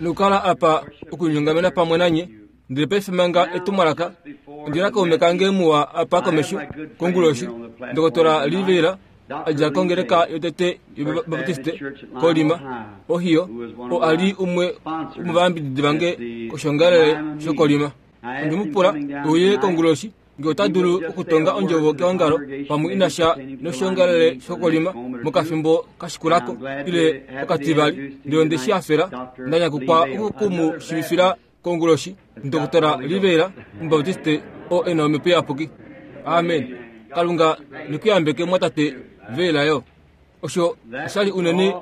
Nokukala apa okulinyongamena pamwe nanye. Ndele paife manga etumwalaka, ondi na kaume kange muwa apa komesho konguloshi, Ndokotola Lee Vayle, a dja kongeleka yotete yObaptiste koLima, Ohio, oo a li umwe womovayambididi vange koshoongalele shokoLima. Onde mu pula e uye konguloshi nge ota dulu okutonga ondjovo keongalo pamwe ina sha noshoongalele shokolima mokafimbo ka shikulako ile okativali, ndele onde shi hafela. Nda nyakukwa oku mu shiivifila konguloshi Ndokotola Rivera, Omubaptiste oo e na Omhepo Iyapuki. Amen. Kalunga ne ku yambeke, mumwatate Veera yo. Osho osha li unene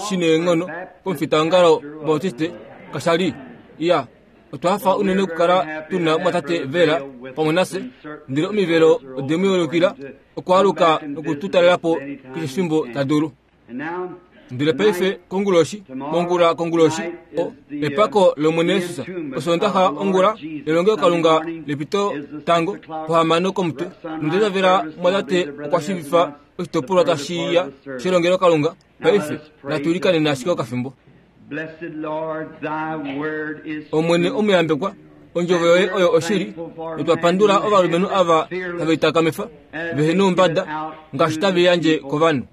shi neenghono komufitaongalo Bautiste, kasha li? Iya, otwa hafa unene okukala tu na mumwatate Veera pamwe nafye, ndele omivelo ode mu yeulukila okwaaluka noku tu talela po keshe efimbo ta dulu. Ndele paife konguloshi, mongula konguloshi, o, epako lOmwene Jesus. Osoondaxa ongula, elongelokalunga lepito tango, pohamano komutwe. Nonda itavela mumwatate okwa shiivifa oshitopolwa tashi ya shelongelokalunga. Paife natu ilikaneni ashike okafimbo. Omwene omuyambekwa, ondjovo yoye oyo oshili, notwa pandula ovalumenhu ava have itakamifa, vehe noumbada, ngaashi tave yandje kovanhu.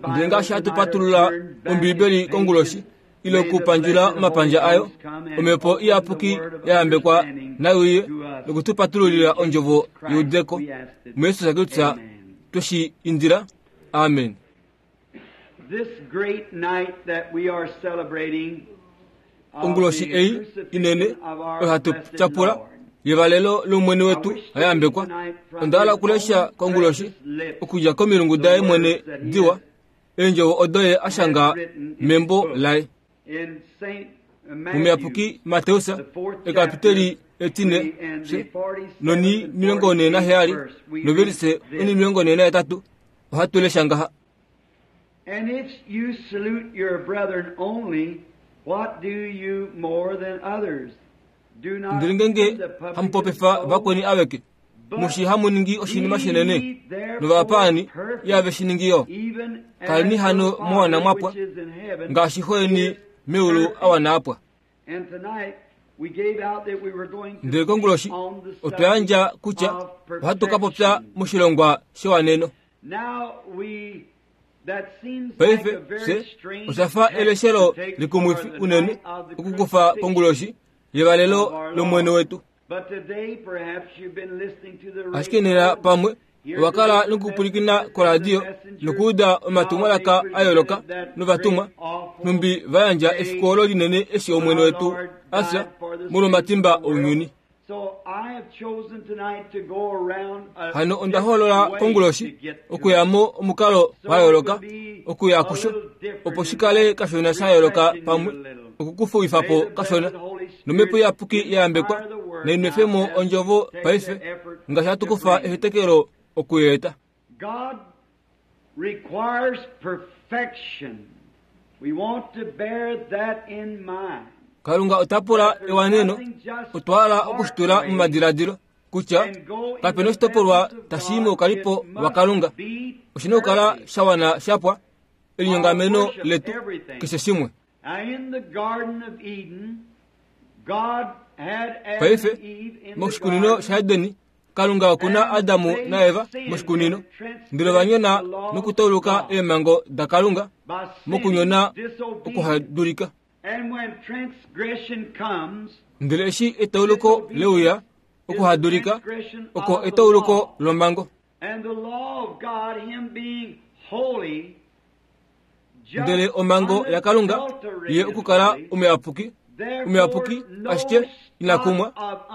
Ndele ngaashi hatu patulula Ombiibeli konguloshi, ile okupandjula omapandja ayo, Omhepo Iyapuki ya yambekwa nai uye noku tu patululila ondjovo yeudeko. MuJesus Kristus twe shi indila. Amen. Onguloshi ei inene oyo hatu tyapula yevalelo lOmwene wetu a yambekwa. Onda hala okulesha konguloshi okudja komilungu daye mwene diwa, eendjovo odo ye a shanga membo laye. Omuyapuki Mateus ekapiteli etine noni 47 novelise oni 48 ohatu lesha ngaha. And if you salute your brethren only, what do you more than others? Do not Ndele ngenge the publicans hamu popifa so? vakweni aveke, mushi hamu ningi oshinima shinene, novapaani ihave shi ningi yo. Even as Kaleni hano your mwa wana Father mwapwa, which is in heaven ngaashi xo yeni is meulu a wana apwa. And tonight we gave out that we were going to Ndele konguloshi speak on the otwa yandja subject kutya of ohatu ka popya perfection. moshilongwa shewaneno. Now we that seems like Paife a very fye strange osha fa text eleshelo to take likumwifi for the unene night of the okukufa crucifixion. konguloshi yevalelo lOmwene wetu. But today perhaps you've been listening to the Ashike nena radio. pamwe owa kala nokupwilikina koradio nokuuda omatumwalaka a yooloka novatumwa nhumbi va yandja efiku olo linene eshi Omwene wetu a fya molwomatimba ounyuni. Hano onda hoolola konguloshi okuya mo omukalo wa yooloka okuya kusho opo shi kale kashona sha yooloka pamwe okukufuwifa po kashona nomhepo iyapuki ya yambekwa nai nwefe mo ondjovo paife ngaashi hatu kufa ehetekelo okuyeeta. God requires perfection. We want to bear that in mind. Kalunga ota pula ewaneno, otwa hala okushitula momadiladilo kutya kape na oshitopolwa tashi i moukalipo waKalunga. Oshi na okukala sha wana sha pwa, elinyongameno letu, keshe shimwe. Paife, moshikunino shaEden, Kalunga oku na Adamu naEva moshikunino, ndele ova nyona nokutauluka eemhango daKalunga mokunyona okuhadulika. Ndele eshi etauluko le uya, okuhadulika oko etauluko lomhango. Ndele omhango yaKalunga ye okukala omuyapuki, omuyapuki ashike ina kumwa.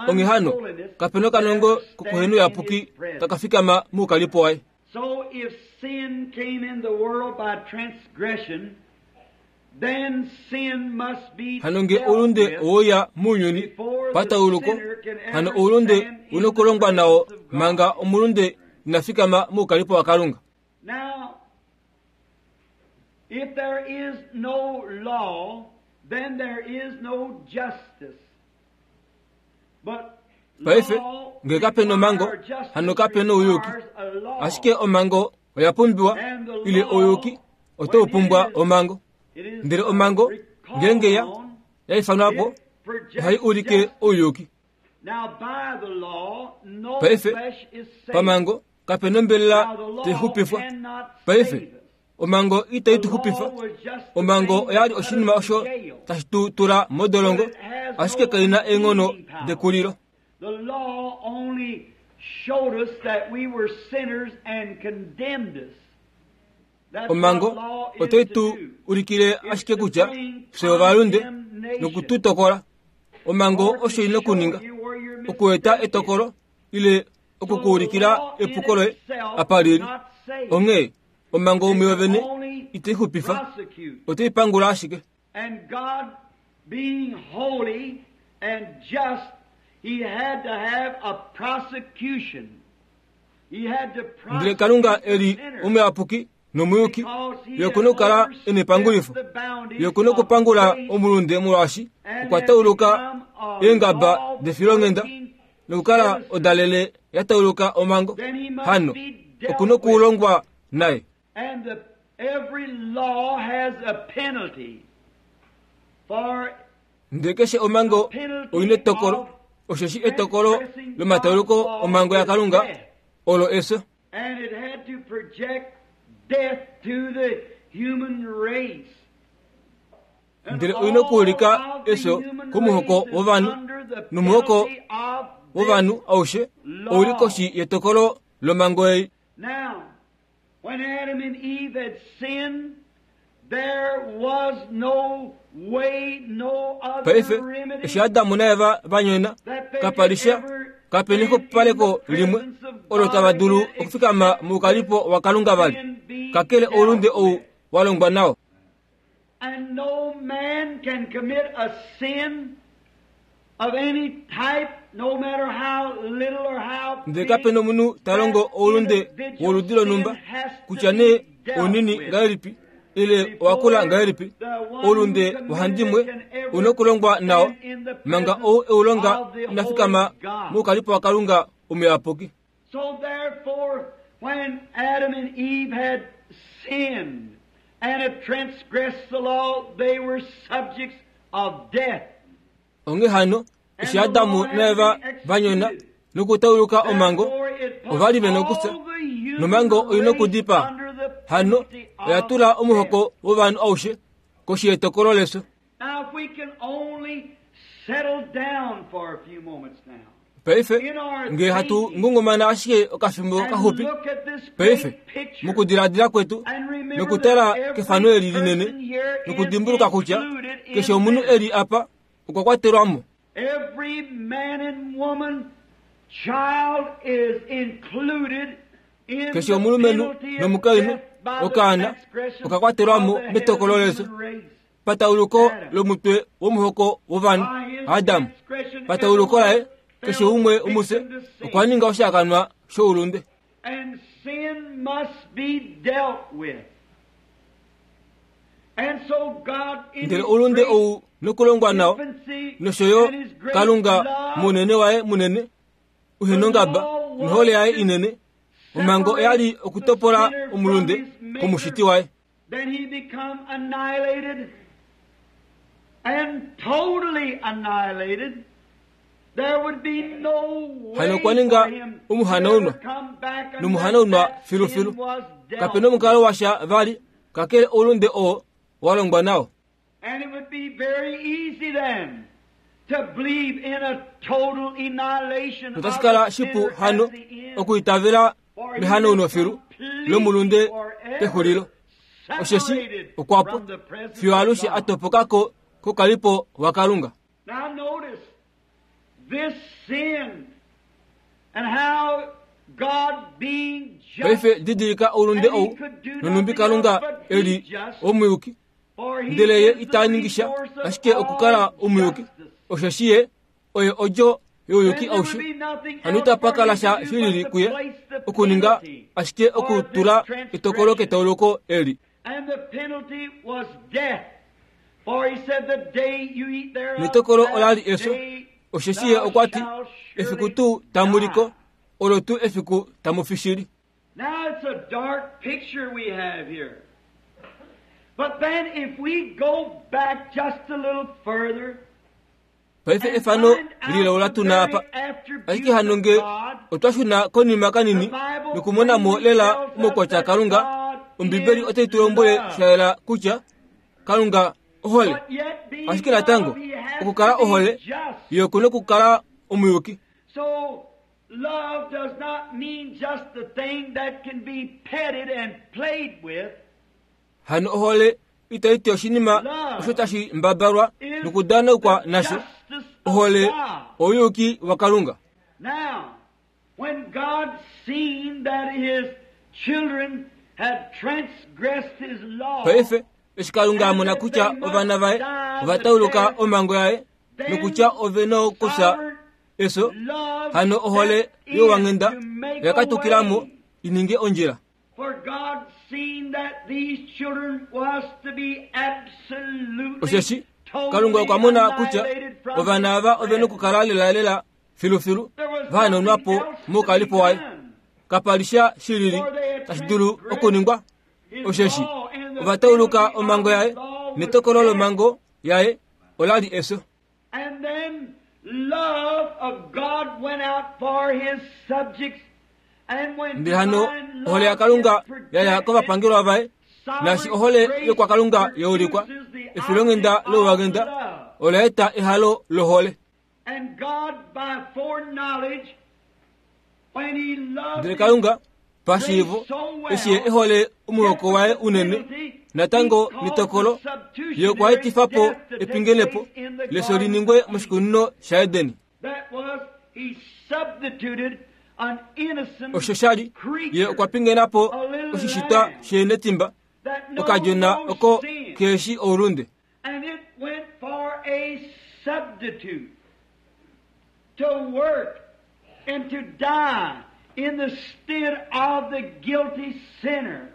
Onghee hano, kape na okanongo kokuhenouyapuki taka fikama moukalipo waye. Hano nge oulunde oweuya mounyuni patauluko, hano oulunde u nokulongwa nao manga omulunde ina fikama moukalipo waKalunga. Now, if there is no law, then there is no justice. But Paife, nge kape nomhango, hano kape nouyuki. Ashike omhango oya pumbiwa, ile ouyuki otau pumbwa omhango. Ndele omhango ngeenge ya ya ifanwa po, ohai ulike ouyuki. Paife, pamhango kape nombelela tai xupifwa. Paife, omhango itai tu xupifa. Omhango oya li oshinima osho tashi tu tula modolongo, ashike kai na eenghono dekulilo. The law only showed us that we were sinners and condemned us. Omhango otai tu ulikile ashike kutya fye ovalunde noku tu tokola. Omhango osho i na okuninga, okueta etokolo ile oku ku ulikila epuko loye apa li li. Onghee omhango muyo vene itai xupifa, otai pangula ashike. And God being holy and just, he had to have a prosecution. He had to Ndele Kalunga e li omuyapuki nomuyuki, ye oku na okukala e nepangulifo. Ye oku na okupangula omulunde molwaashi okwa tauluka eengaba defilonghenda nokukala odalele ya tauluka omhango. Hano oku na okulongwa naye. And the, every law has a penalty for Ndele keshe omhango oi netokolo, osheshi etokolo lomatauluko omhango yaKalunga olo efyo. And it had to project death to the human race. Ndele oi nokuulika efyo komuhoko wovanhu, nomuhoko wovanhu aushe ou li koshi yetokolo lomhango ei. Now, when Adam and Eve had sinned, there was no way, no other Paife, remedy eshi Adamu naEva va nyona, that they kapa li could sha, ever kape stand in nexupaleko the limwe presence of olo God tava dulu again okufikama except moukalipo waKalunga vali, sin be kakele oulunde dealt ou with. wa longwa nao. And no man can commit a sin of any type, no matter how little or how Ndele big, kape nomunhu ta longo that oulunde individual woludi lonhumba, sin has to kutya be nee dealt ounini with. ngahelipi ile owakula ngahelipi, oulunde wahandimwe u nokulongwa nao, manga ou e u longa ina fikama moukalipo waKalunga omuyapuki. So therefore, when Adam and Eve had sinned and had transgressed the law, they were subjects of death. Onghee hano, eshi Adamu naEva va nyona nokutauluka omhango, Therefore, it put ova li ve nokufya, all the human nomhango oi race nokudipaa. under the Hano penalty oya of tula omuhoko death. wovanhu aushe koshi yetokolo lefyo. Now, if we can only settle down for a few moments now Paife, in our ngee hatu thinking ngungumana ashike okafimbo and kaxupi, look at this great paife, picture mokudiladila kwetu and remember nokutala that every kefano eli linene person here is nokudimbuluka kutya included keshe in omunhu this. e li apa okwa kwatelwa mo. Every man and woman, child is included in Keshe the omulumenhu penalty of nomukainhu death by the okaana transgression oka kwatelwa mo of the head of metokolo the lefyo. human race. Patauluko lomutwe womuhoko wovanhu, By his Adam, transgression, patauluko laye everyone keshe fell umwe umufye victim to sin. okwa ninga oshihakanwa shoulunde. And sin must be dealt with. And so God in Ndele His oulunde great ou nokulongwa nao infancy nosho yo and His great Kalunga love munene waye munene uhenongaba nohole yaye inene, omhango oya li okutopola omulunde komushiti waye. Then he become annihilated and totally annihilated. There would be no way Hano okwa ninga for him to omuhanaunwa, ever come back unless nomuhanaunwa that filufilu. sin was dealt Kape nomukalo washa vali kakele oulunde oo wa longwa nao. And it would be very easy then to believe in a total annihilation of Notashi kala the shipu sinner hano at the end. okuitavela For he mehanauno is filu completely lomulunde forever pexulilo. Osheshi separated okwa pwa from the presence fiyo of alushe God. a topoka ko kokalipo waKalunga. Now notice this sin and how God being just, Paife didilika oulunde and he ou could do nonhumbi nothing Kalunga else but e be li just, omuyuki, for he ndele ye is the ita ningi sha resource of ashike okukala all omuyuki, justice. osheshi ye oye odjo youyuki Then there would aushe. be nothing Hano else itapa for kala him sha to do shi lili but to kuye place the okuninga penalty ashike for okutula this etokolo transgression. ketauluko eli. And the penalty was death. For he said, the day you eat thereof, Netokolo that ola li efyo, day osheshi ye thou okwa ti, shalt efiku surely tuu tamu liko, die. olo tuu efiku tamu fi shili. Now it's a dark picture we have here. But Paife efano lilaula tuna apa. Ashike hano nge otwa shuna konima kanini nokumona mo lela omaukwatya aKalunga, Ombibeli otai tu lombwele sha yela kutya Kalunga ohole. Ashike natango, okukala ohole, ye oku nokukala omuyuki. Love does not mean just the thing that can be petted and played with. Hano ohole itai ti oshinima osho tashi mbabalwa nokudanaukwa nasho. Ohole ouyuki waKalunga. Now, when God seen that his children had transgressed his law, Paife, eshi Kalunga a mona kutya ovana vaye ova tauluka omhango yaye nokutya ove nokufya efyo, hano ohole youwanghenda oya katukila mo i ninge ondjila. Osheshi Kalunga okwa mona kutya ovana ava ove nokukala lelalela filufilu va hanaunwa po moukalipo waye. Kapa li sha shilili tashi dulu okuningwa, osheshi ova tauluka omhango yaye, netokolo lomhango yaye ola li efyo. And then love of God went out for his subjects. And when Ndele hano divine ohole love yaKalunga is ya ya projected, kovapangelwa vaye, naashi ohole yokwakalunga ya ulikwa, efilonghenda louwanghenda ola eta ehalo lohole. And God by foreknowledge, when he loved Ndele Kalunga pashiivo, eshi ye e hole omuhoko waye unene, natango netokolo, ye okwa etifa po epingenepo lefyo li ningwe moshikunino shaEden. Osho sha li, ye okwa pingena po oshishitwa sheenetimba, okadjona oko keheshi oulunde. And it went for a substitute to work and to die in the stead of the guilty sinner.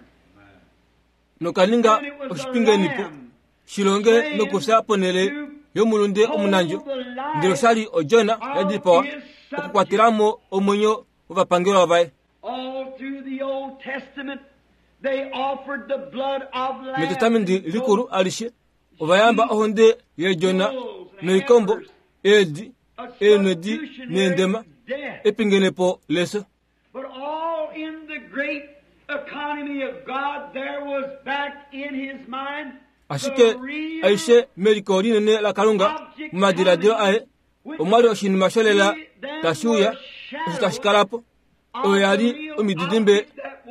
Noka ninga oshipingenipo shi longe nokufya ponhele yomulunde omunandjo, ndele osha li odjona ya dipawa okukwatela mo omwenyo wovapangelwa vaye. All through the Old Testament, they offered the blood of lambs Metestamenti and Likulu goats, alishe, ova yamba ohonde yeedjona noikombo, eedi, a eenhwedi neendema, substitutionary death. epingenepo lefyo. But all in the great economy of God, there was back in his mind the Ashike real aishe meliko linene laKalunga, momadiladilo aye, omwa li oshinima sholela tashi uya, osho tashi kala po. Oyo ya li omididimbe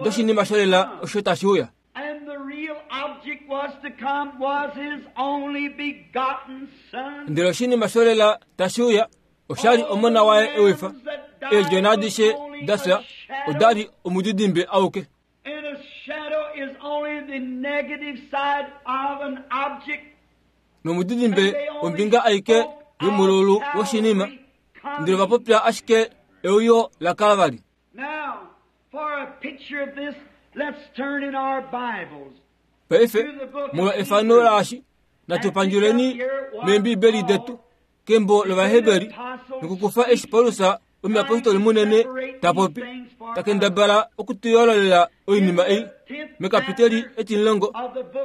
doshinima sholela osho tashi uya. And the real object was to come was his only begotten son. Ndele oshinima sholela tashi uya osha li omona waye ewifa. Eedjona adishe da fya oda li omudidimbe auke. And a shadow is only the negative side of an object. Nomudidimbe ombinga aike yomululu woshinima. Ndele ova popya ashike euyo laKalvari. Now, for a picture of this, let's turn in our Bibles. Paife, molwa efano laashi, natu pandjuleni mEembibeli detu kembo lOvaheberi nokukufa eshi Paulus omuyapostoli munene ta popi, ta kendabala oku tu yoololela oinima ei. Mekapiteli etimulongo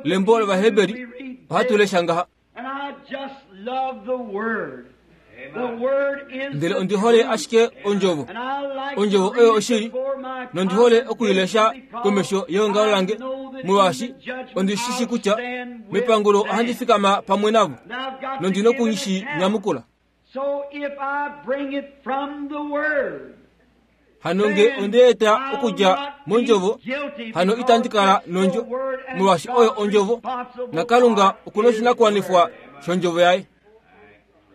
lembo lOvaheberi ohatu lesha ngaha. And I just love the Word. The Word is Ndele the ondi hole truth. ashike ondjovo. And I like to Ondjovo read oyo it oshili, before my nondi hole oku i lesha congregation komesho yeongalo because lange, I know that molwaashi in the judgment ondi shi shi I'll kutya stand with mepangulo them. ohandi fikama pamwe navo, And I've got to nondi give noku an shi account. nyamukula. So if I bring it from the Word, Hano nge onde eta okudja mondjovo, hano itandi kala nondjo, molwaashi oyo ondjovo, naKalunga oku na oshinakuwanifwa shondjovo yaye.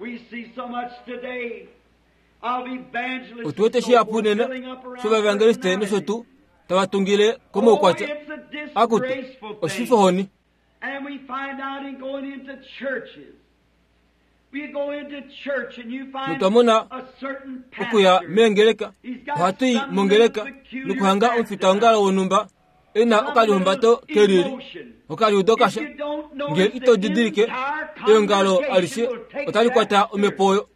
We see so much today of evangelists Otu wete and so shihapu forth nena filling up around shovaevangeliste nosho personality. tuu tava tungile Oh, komaukwatya. it's a Akutu, disgraceful thing. oshifohoni. And we find out in going into churches. We go into church and you find Notwa mona a certain okuya pastor. meengeleka, He's got ohatu i some mongeleka little peculiar nokuhanga attitude, omufitaongalo wonhumba e na some okalihumbato little ke lili, emotion. okaliudo If kasha. you don't Nge notice, ito the didilike, entire eongalo congregation alishe will take otali that kwata spirit. omhepo oyo.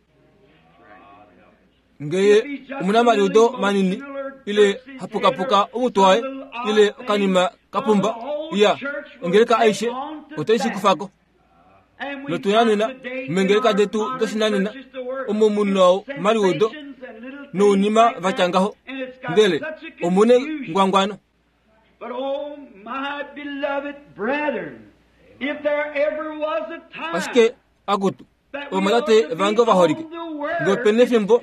Ngeye omunamaliudo manini ile hapukapuka omutwe waye ile okanima ka pumba, iya, ongeleka aishe Otai shi kufa ko. Notu na nena meengeleka detu doshinanena omo mu na omaliudo nounima va tya ngaho, ndele omu nengwangwano. Ashike, akutu, ovamwatate vange ovaholike, nge ope nefimbo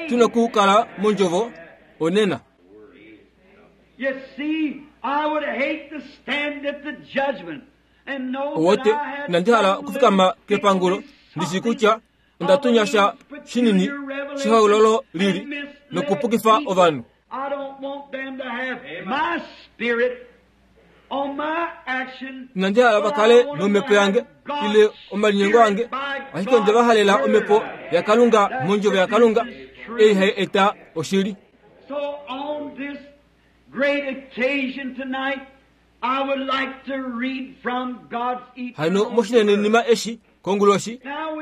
tu nokukala mondjovo, onena. Owote, inandi hala okufikama kepangulo ndi shii kutya onda tunya sha shinini shehoololo lili nokupukifa ovanhu. Inandi hala va kale nomhepo yange ile omalinyengo ange, ashike onde va halela omhepo yaKalunga mondjovo yaKalunga ei hai eta oshili. Hano moshinenenima eshi konguloshi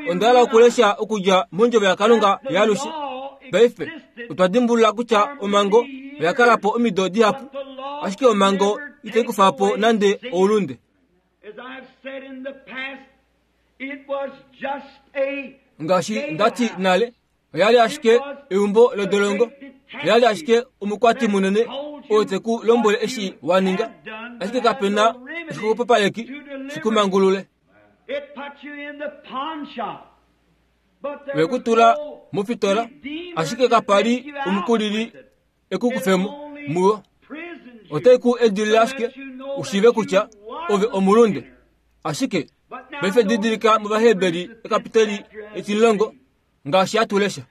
onda hala okulesha okudja mondjovo yaKalunga yaalushe. Paife otwa dimbulula kutya omhango oya kala po omido dihapu, ashike omhango itai kufa po nande oulunde. Ngaashi nda ti nale, oya li ashike eumbo lodolongo, oya li ashike omukwati munene oo te ku lombwele eshi wa ninga, ashike kape na oshixwepopaleki shi ku mangulule. Ve ku tula mofitola, ashike kapa li omukulili e ku kufe mo muyo. Otai ku edilile ashike u shiive kutya ove omulunde. Ashike paife didilika mOvaheberi ekapiteli etimulongo ngaashi hatu lesha.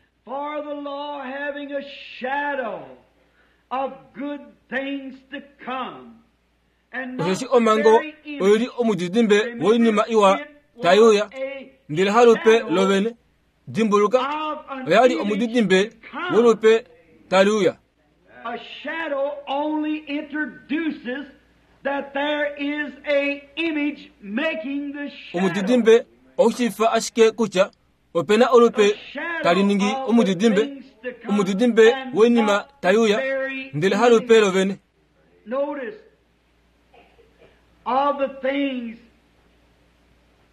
Osheshi omhango oi li omudidimbe woinima iwa tai uya, ndele halupe lovene. Dimbuluka, oya li omudidimbe wolupe tali uya. Omudidimbe ou shiifa ashike kutya ope na olupe tali ningi omudidimbe, omudidimbe woinima tai uya, ndele halupe lovene. Notice all the things,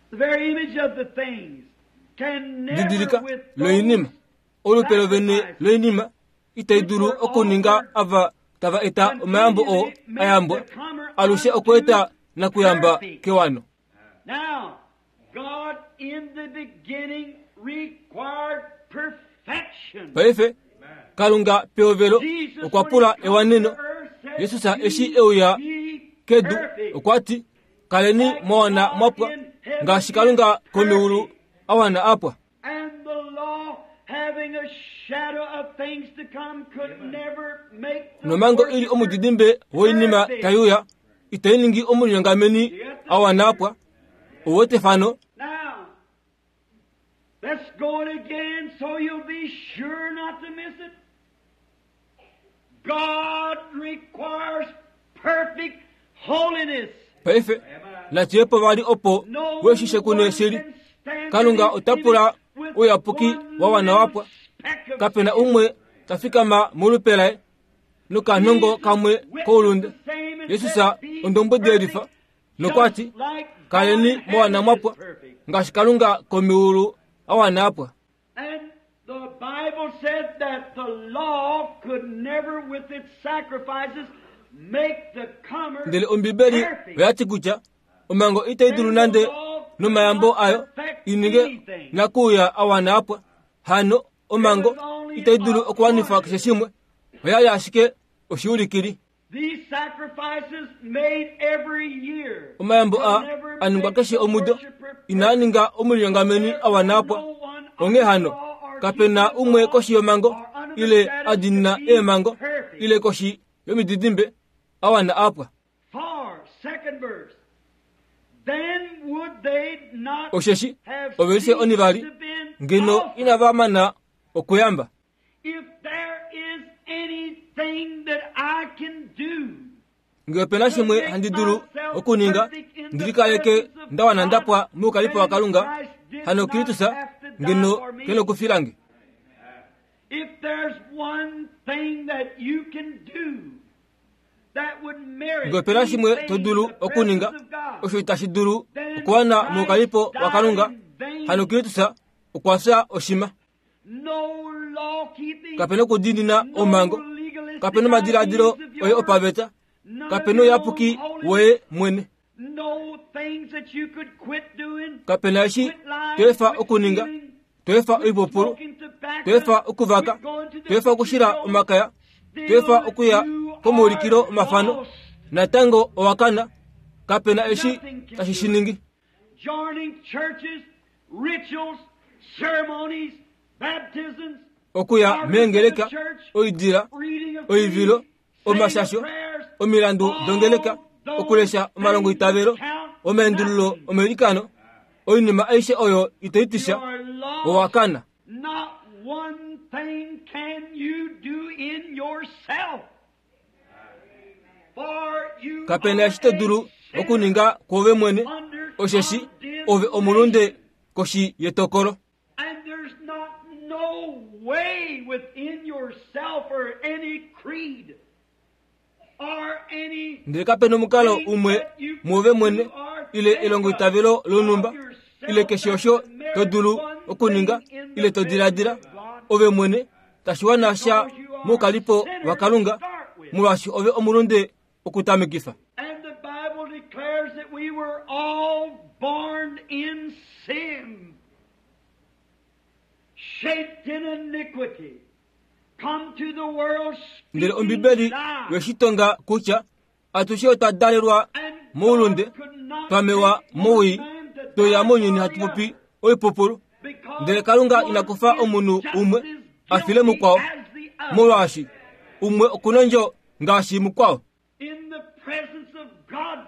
the very image of the things, can never Didilika with loinima, those olupe lovene loinima itai dulu okuninga ava tava eta omayambo oo a yambwa alushe okweeta nakuyamba kewano. Now, God in the beginning required perfection. Paife, Kalunga pehovelo okwa pula ewaneno. Jesus eshi e uya kedu okwa ti, Kaleni mwa wana mwa pwa, ngaashi Kalunga komeulu a wana a pwa. And the law, having a shadow of things to come, could never make the Nomhango i li omudidimbe woinima tai uya, itai ningi omulinyongameni a wana a pwa. Ou wete efano? Now, let's go it again so you'll be sure not to miss it. God requires perfect holiness. Paife, natu ye po vali opo No we shi shekune one shili. can stand Kalunga in his ota pula image with ouyapuki one wa wana wa pwa. little speck of Kape na sin. umwe ta fikama molupe laye nokanhongo kamwe koulunde. Jesus ondombwedi yelifa nokwa ti, Kaleni mwa wana mwa pwa, ngaashi Kalunga komeulu a wana a pwa. And the Bible said that the law could never with its sacrifices make the comer Ndele Ombibeli perfect. oya ti kutya omhango itai dulu nande nomayambo ayo i ninge nakuuya a wana a pwa. Hano omhango itai dulu okuwanifa keshe shimwe, oya li ashike oshiulikili. These sacrifices made every year Omayambo a could never a ningwa make keshe the omudo worshiper inaa ninga omulinyongameni a wana a pwa. Onghee hano, kape na umwe koshi yomhango ile a diinina eemhango ile koshi yomididimbe a wana a pwa. For, second verse, then would they not Osheshi have ovelishe ceased onivali to been ngeno offered? inava mana okuyamba. If there is anything that I can do Nge ope na shimwe handi dulu okuninga ndi likaleke nda wana nda pwa moukalipo waKalunga, hano Kristus ngeno ke nokufila nge. If there's one thing that you can do Ngee ope na shimwe to dulu okuninga osho itashi dulu okuwana moukalipo waKalunga, hano Kristus okwa fya oshima. Kape na okudiinina omhango, kape na omadiladilo oye opaveta, kape na ouyapuki woye mwene. Kape na eshi to efa okuninga, to efa oipupulu, to efa okuvaka, to efa okushila omakaya, to efa okuya komaulikilo omafano, natango owa kana. Kape na eshi tashi shi ningi. Okuya meengeleka, oidila, oivilo, omashasho, omilandu dongeleka, okulesha omalongoitavelo, omaendululo omailikano, oinima aishe oyo ito i tisha, owa kana. Kape na eshi to dulu okuninga kwoove mwene, osheshi ove omulunde koshi yetokolo. And there's not no way within yourself or any creed or any Ndele kape na omukalo umwe muove mwene ile elongoitavelo lonhumba ile keshe osho to dulu okuninga ile to diladila ove mwene tashi wana sha moukalipo waKalunga molwaashi ove omulunde okutamekifa. And the Bible declares that we were all born in sin, shaped in iniquity, come to the world Ndele speaking Ombibeli lies. yoshitonga kutya atushe otwa dalelwa And moulunde, God could not twa mewa take one mowii, man to toya die mounyuni for hatu the popi other. oipupulu. Because Ndele Kalunga one ina kufa is omunhu just umwe as a file guilty mukwao, as the other. molwaashi umwe okuna ondjo ngaashi mukwao. In the presence of God,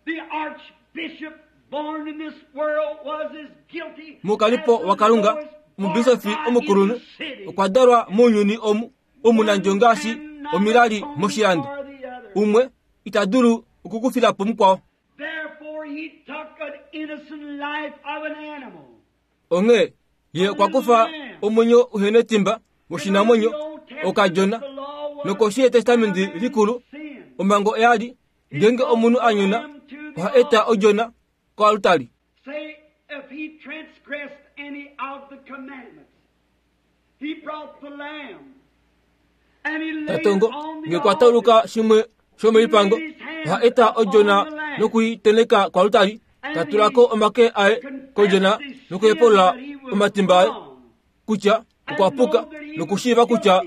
the archbishop born in this world was as guilty Mukalipo as the waKalunga, lowest omubisofi barber omukulunhu in the city. okwa dalwa mounyuni omu omunandjo ngaashi One omilali cannot moshilando. atone for the other. Umwe ita dulu okukufila po mukwao. Therefore he took an innocent life of an animal. Onghee ye okwa kufa omwenyo uhena etimba woshinamwenyo okadjona. Nokoshi yEtestamenti likulu, omhango oya li ngeenge omunhu a nyona oha eta odjona koaltari. Say, if he transgressed any of the commandments, he brought the lamb and he laid it Tatongo on the nge kwa tauluka altar. shimwe shomoipango oha eta odjona nokuiteneka koaltari, ta tula ko omake aye kodjona nokuhepulula omatimba aye kutya okwa puka nokushiiva kutya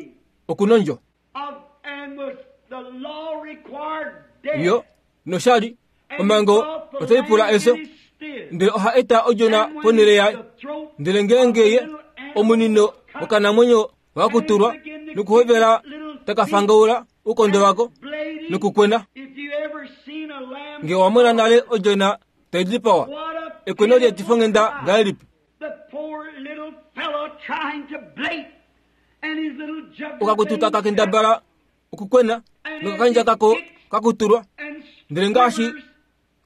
okuna ondjo. Of, and was the law required death. Yo noshali And he omhango brought the otai pula lamb efyo, in his stead. ndele oha eta odjona And when ponhele yaye. the throat Ndele ngeenge ye of the little animal omunino was cut, wokanamwenyo wakutulwa nokuhovela takafangaula oukondo wako blading, nokukwena. if you ever seen a lamb Nge wa mona nale odjona tai dipawa, what a ekweno lietifongenda pitiful ngahelipi? The poor little fellow trying to blate and his little jugular Okakutu taka vein kendabala okukwena nokakandja kako kakutulwa, and ndele ngaashi quivers,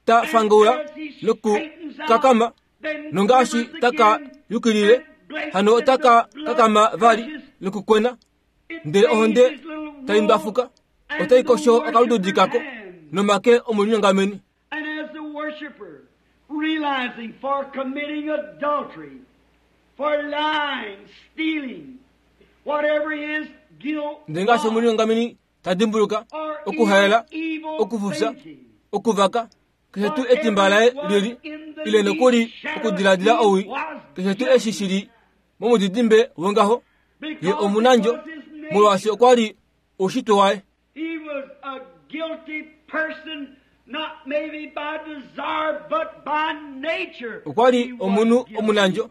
ta and fangaula as he nokukakama, straightens out, then nongaashi quivers taka again yukilile, and blates hano and the otaka blood kakama vali gushes. nokukwena, It ndele ohonde bathes his little tai wool ndwafuka, and otai the kosho okalududi worshiper's kako hands. nomake omulinyongameni. And as the worshiper, realizing for committing adultery, for lying, stealing, whatever his guilt Ndele ngaashi was, omulinyongameni ta dimbuluka or okuhaela, even evil okufufya, thinking, okuvaka, keshe tuu etimba laye lili, ile nokuli okudiladila owii, keshe tuu eshi shili momudidimbe wongaho, ye because it omunandjo, was his nature. molwaashi okwa li oushitwe waye. He was a guilty person, not maybe by desire, but by nature. Okwa li He was omunhu guilty. omunandjo,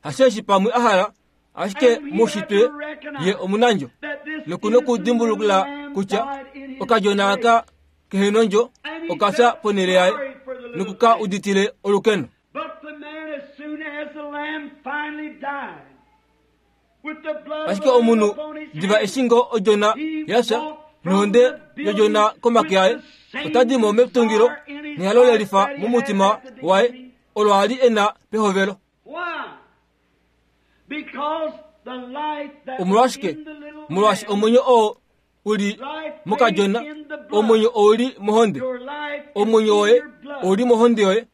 hasheshi pamwe a hala, ashike And he had moushitwe to recognize ye omunandjo. that this Nokuna innocent okudimbulukila lamb kutya died in his okadjona place. aka kehenondjo And he okafya felt ponhele yaye sorry for the little nokuka thing. uditile olukeno. But the man, as soon as the lamb finally died, with the blood of Ashike the lamb omunhu upon his diva hands, eshi ngoo odjona he yafya walked from nohonde the building yodjona komake with aye, the same ota di mo metungilo desire in his nehalo heart lelifa that he had momutima at the waye beginning. olo a li e na pehovelo. Why? Because the life that was Omolwashike? in the little Molwaashi lamb omwenyo oo u li mokadjona, omwenyo ou li mohonde. Omwenyo woye ou li mohonde yoye.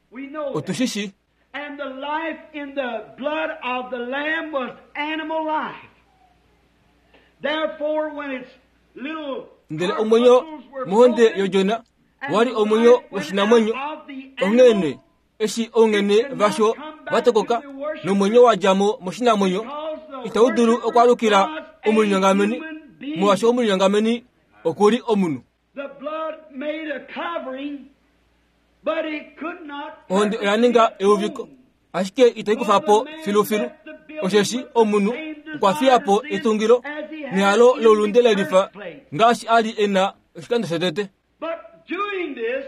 Otu shi shii. And the life in the blood of the lamb was animal life. Therefore, when its little Ndele omwenyo mohonde yodjona wa li omwenyo woshinamwenyo, onghee nee eshi ounghene vasho va tokoka nomwenyo wa dja mo moshinamwenyo, itau dulu okwaalukila omulinyongameni, molwaashi omulinyongameni oku li omunhu. The blood made a covering, but it could not Ohonde oya ninga euviko, ashike itai kufa po filufilu, osheshi omunhu okwa fiya po etungilo nehalo loulunde le lifa ngaashi a li e na oshikando shotete. But doing this,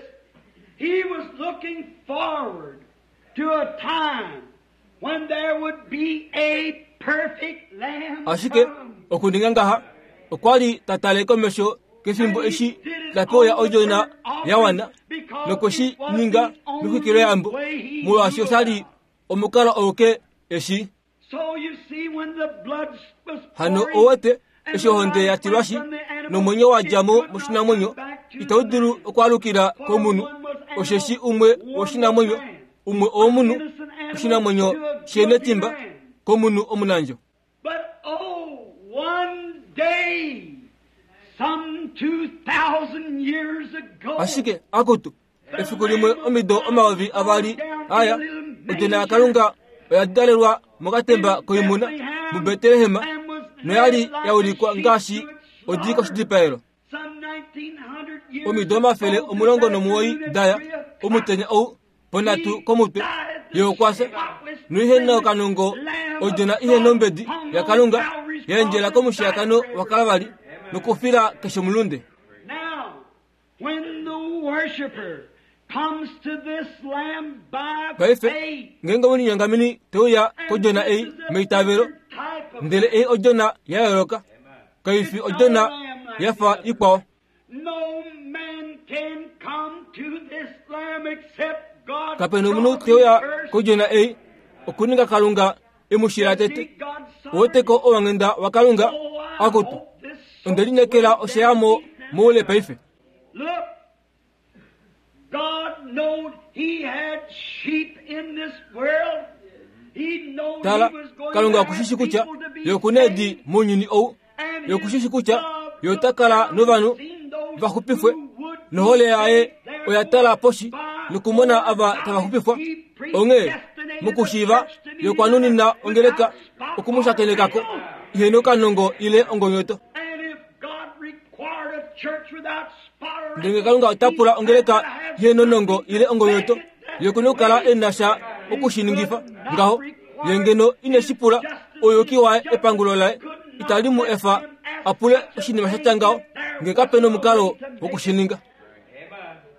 he was looking forward to a time when there would be a perfect lamb Ashike come. okuninga ngaha, okwa li ta tale komesho kefimbo eshi ta pewa odjona ya wana nokwe shi ninga mexwikiloyambo, molwaashi osha li omukalo auke eshi. So you see, when the blood was Hano pouring, owete eshi ohonde ya tilwashi nomwenyo wa dja mo moshinamwenyo itau dulu okwaalukila komunhu, osheshi umwe woshinamwenyo, umwe owomunhu, oshinamwenyo shenetimba komunhu omunandjo. But oh, one day, some 2,000 years ago, Ashike akutu, efiku limwe omido 2000 aya, odjona yaKalunga oya dalelwa mokatemba koimuna muBetlehem noya li ya ulikwa ngaashi odi koshidipaelo. some 1900 years Omido 190 daya, omutenya ou ponhatu komutwe, ye okwa fya, noihe na okanongo odjona ihe nombedi yaKalunga ya endjela komushiyakano waKalvali nokufila keshe omulunde. Now, when the worshiper comes to this lamb by Paife, faith, ngeenge omulinyongameni te uya kodjona ei meitavelo, type of ndele ei odjona ya yooloka, kai fi odjona ya fa ikwao. No man can come to this lamb except God Kape na omunhu draws te uya him first. kodjona ei okuninga Kalunga e mu shila tete. See God's Oweteko owanghenda waKalunga, Oh, I akutu, hope this onde lineekela osheyamo moule paife. Look, God knowed he had sheep in this world. He knowed Tala, he was going Kalunga to oku shi have shi kutya people to be ye oku na eedi saved. mounyuni ou, And ye oku shi his shi kutya love ye ota kala novanhu seen those va xupifwe, who would be nohole yaye saved. oya tala poshi Therefore, nokumona ava tava xupifwa. he Onghee predestinated mokushiiva the church to be ye okwa nunina ongeleka without okumushakenekako spot or ihe nokanongo ile ongonyoto. And if God required a church without spot or Ndele Kalunga ota pula ongeleka ihe nonongo ile ongonyoto, ye okuna okukala e na sha okushiningifa ngaho, ye ngeno ine shi pula ouyuki waye epangulo laye itali mu efa a pule oshinima sha tya ngaho, nge kape nomukalo wokushininga.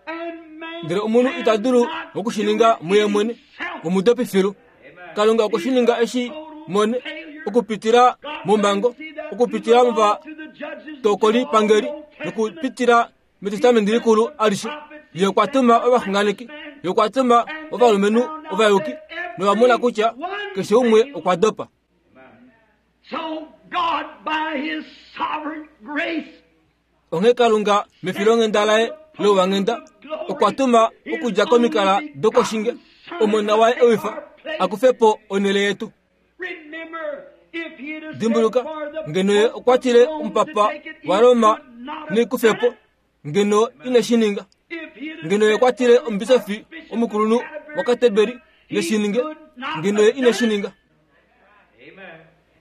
And man Ndele omunhu ita dulu okushininga muye mwene, omudopi filu. Kalunga okwe shi ninga eshi mone okupitila momhango, okupitila movatokoli-pangeli nokupitila metestamenti likulu alishe. Ye okwa tuma ovaxunganeki, ye okwa tuma ovalumenhu ovayuki, nova mona kutya keshe umwe okwa dopa. So God, by His sovereign grace, Onghee Kalunga mefilonghenda laye louwanghenda okwa tuma okudja komikala dokoshinge omona waye ewifa a kufe po onhele yetu. remember if He had Dimbuluka, said for the ngeno ye okwa tile omupapa waRoma nekufe po, ngeno ine shi ninga. if he had Ngeno ye okwa tile omubisofi omukulunhu waKateberi neshininge, ngeno ye ine shi ninga.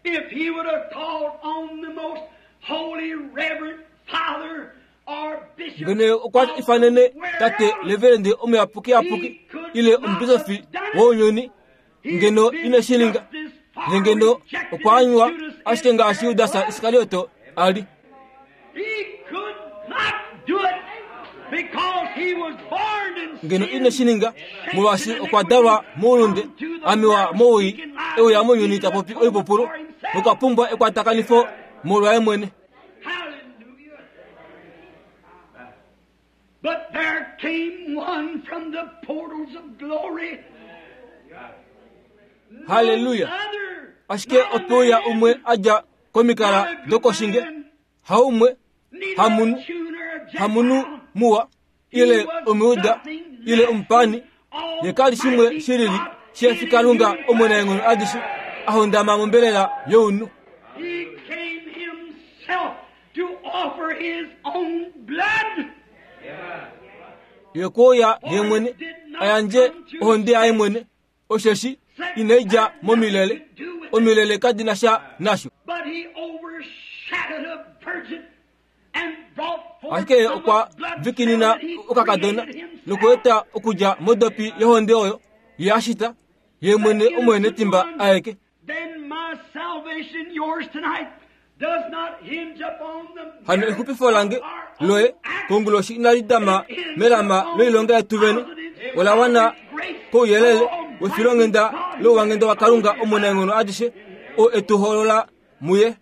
If he would have called on the most holy reverend father or bishop, Ngeno ye okwa ifanene tate leverende omuyapukiyapuki ile omubisofi wounyuni, ngeno ine shi ninga. Ye ngeno okwa anywa ashike ngaashi Judas Iskarioto a li. He could not do it because he was born in Ngeno sin. ine shi ninga molwaashi okwa dalwa moulunde, amiwa mowii, e uya mounyuni ta popi oipupulu, nokwa pumbwa ekwatakanifo molwaye mwene. Hallelujah. But there came one from the portals of glory. Hallelujah. None other, Ashike not a ope uya man, umwe a dja komikala not a good dokoshinge, man, haumwe Hamunhu, hamunhu muwa, ile Omujuda, ile omupani, ye ka li shimwe shi lili shefi Kalunga Omunaenghono adishe a hondama mombelela younhu. He came himself to offer his own blood. Ye okwe uya ye mwene a yandje ohonde yaye mwene, osheshi inai dja momilele, omilele kadi na sha nasho. But he overshadowed a virgin and brought forth Ashike ye okwa vikinina okakadona nokueta okudja modopi yohonde oyo ye a shita, ye mwene omuhenetimba aeke. Then my salvation, yours tonight, does not hinge upon the Hano exupifo lange loye konguloshi inali dama melama loilonga yetu vene, ola wana kouyelele wefilonghenda louwanghenda waKalunga Omunaenghono adishe, oo e tu hoolola muye.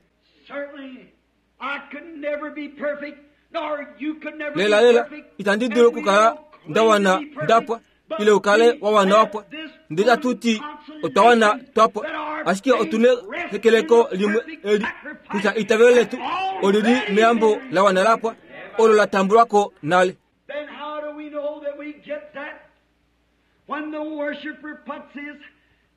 Certainly, I could never be perfect, nor you could never be Lelalela, perfect, itandi dulu and we okukala don't claim nda wana to be perfect, nda pwa, but ile u kale we wa wana wa pwa. have this Ndele itatu ti otwa wana twa pwa, that our ashike otu na faith rests ehekeleko in the limwe perfect eli sacrifice kutya eitavelo letu oli li meyambo la wana la pwa, olo la tambulwa ko nale. Then how do we know that we get that? When the worshiper puts his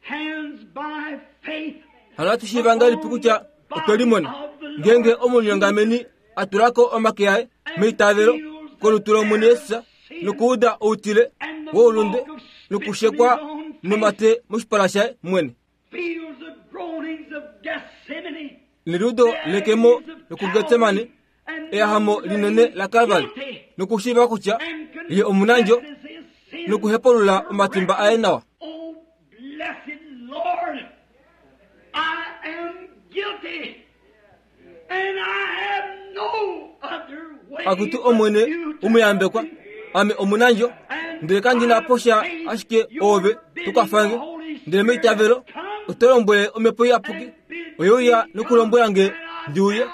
hands by faith Hano ohatu shiiva ngahelipi kutya otwe limona? Ngeenge omulinyongameni a tula ko omake aye meitavelo kolutu lOmwene Jesus nokuuda outile woulunde nokushekwa nomate moshipala shaye mwene, feels the groanings of Gethsemane, neliudo lekemo lokuGetsemane, eyahamo linene laKalvari, nokushiiva kutya ye omunandjo nokuhepulula omatimba aye nawa. Oh, blessed Lord, I am guilty, and I have no other way Akutu but Omwene you to umuyambekwa, help me. ame omunandjo, ndele kandi na posha ashike oove tukwafange, ndele meitavelo oto lombwele omhepo iyapuki oye uya nokulombwela nge ndi uye,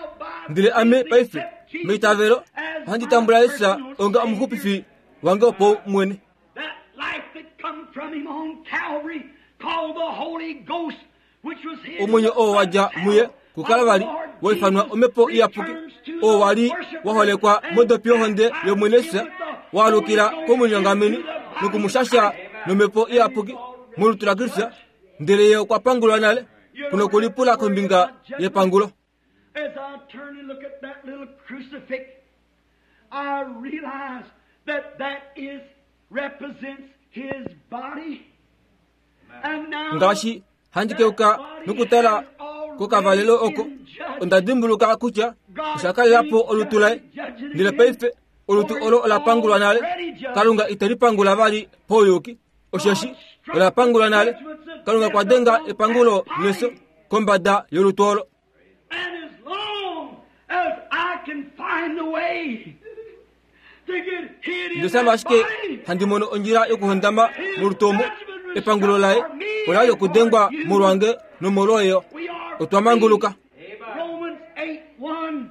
ndele ame paife meitavelo ohandi tambula Jesus onga omuxupifi wange wopaumwene. That life that come from him on Calvary, called the Holy Ghost, which was hid Omwenyo oo wa dja muye kuKalvari wa ifanwa omhepo iyapuki, oo wa li wa holekwa modopi yohonde yOmwene Jesus, wa alukila komulinyongameni nokumushasha nomhepo iyapuki molutu laKristus, ndele ye okwa pangulwa nale kunokulipula kombinga yepangulo. As I turn and look at that little crucifix, I realize that that is represents his body. And now Ngaashi handi keuka nokutala kokavalelo oko, onda dimbuluka kutya osha kalela po olutu laye, ndele paife olutu olo ola pangulwa nale. Kalunga ite li pangula vali pauyuki, osheshi ola pangulwa nale. Kalunga okwa denga epangulo nefyo kombada yolutu olo. And as long as I can find a way to get hid in Ndele shama that ashike body, handi mono ondjila yokuhondama molutu omo, epangulo laye ola li okudengwa molwange nomolwoye. we are Otwa manguluka. free. Romans 8:1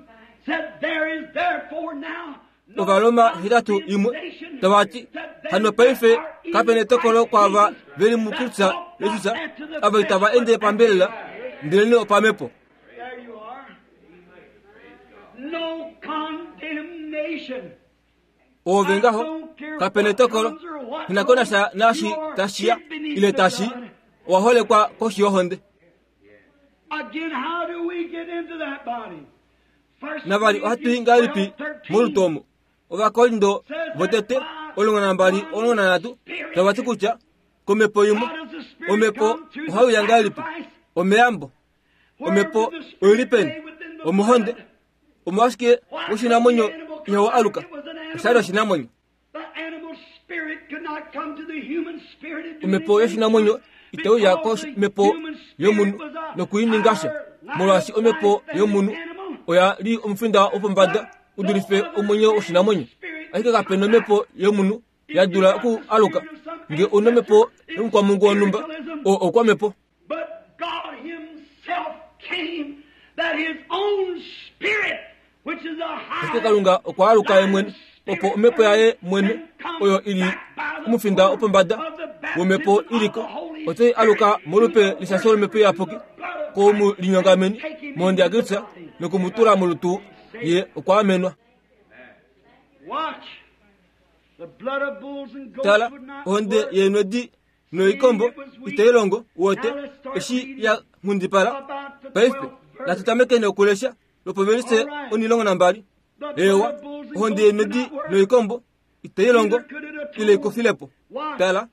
said there is therefore now no Ovaroma 8:1 condemnation tava ti to them hano paife that are in kape netokolo Christ kwaava Jesus, veli that muKristus walk not Jesus after the ava itava flesh, ende but pambelela ndelene opamhepo. There you are. No condemnation. Oove ngaho kape netokolo inako nasha naashi tashiya ile tashi owa holekwa koshi yohonde. Again, how do we get into that body? First Navali ohatu i ngahelipi molutu omo? Ovakorinto votete 12 13 tava ti kutya komhepo imwe omhepo ohai uya ngahelipi? Omeyambo. Omhepo oili peni? Omohonde. Omolwashike woshinamwenyo ihawu aluka? Osha li oshinamwenyo. Omhepo yoshinamwenyo itai uya komhepo yomunhu nokuininga sha, molwaashi omhepo yomunhu oya li omufinda wopombada u dulife omwenyo woshinamwenyo. Ashike kape na omhepo yomunhu ya dula oku aluka. Nge u na omhepo yomukwamungu wonhumba, oo oukwamhepo. But God Himself came that His own Spirit, which is a Ashike Kalunga okwa aluka ye mwene, opo omhepo yaye mwene oyo ili omufinda wopombada womhepo iliko, otai aluka molupe lishasho lomhepo iyapuki koumulinyongameni mohonde yaKristus nokumutula molutu Ye okwa amenwa. Tala, ohonde yeenwedi noikombo itai longo, uwete, eshi ya nghundipala. Paife, natu tamekeni okulesha lopovelise 12. Eewa, ohonde yeenwedi noikombo itai longo ile ikufile po. Tala.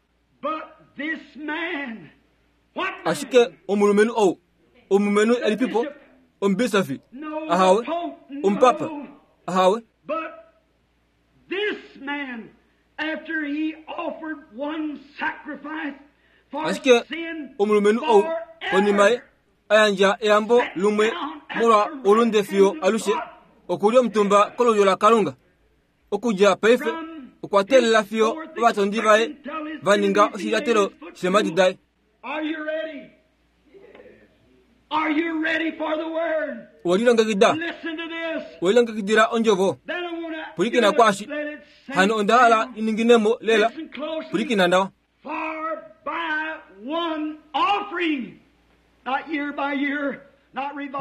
Ashike omulumenhu ou, omulumenhu elipipo? Omubisofi? Ahawe. Omupapa? Ahawe. Ashike omulumenhu ou, konima ye a yandja eyambo lumwe molwa oulunde fiyo alushe, oku li omutumba kolulyo laKalunga. Okudja paife, okwa teelela fiyo ovatondi vaye va ninga oshilyatelo sheemhadi daye. Owe lilongekida? Owe lilongekidila ondjovo? Pwilikina kwaashi. Hano onda hala i ningine mo lela. Pwilikina nawa.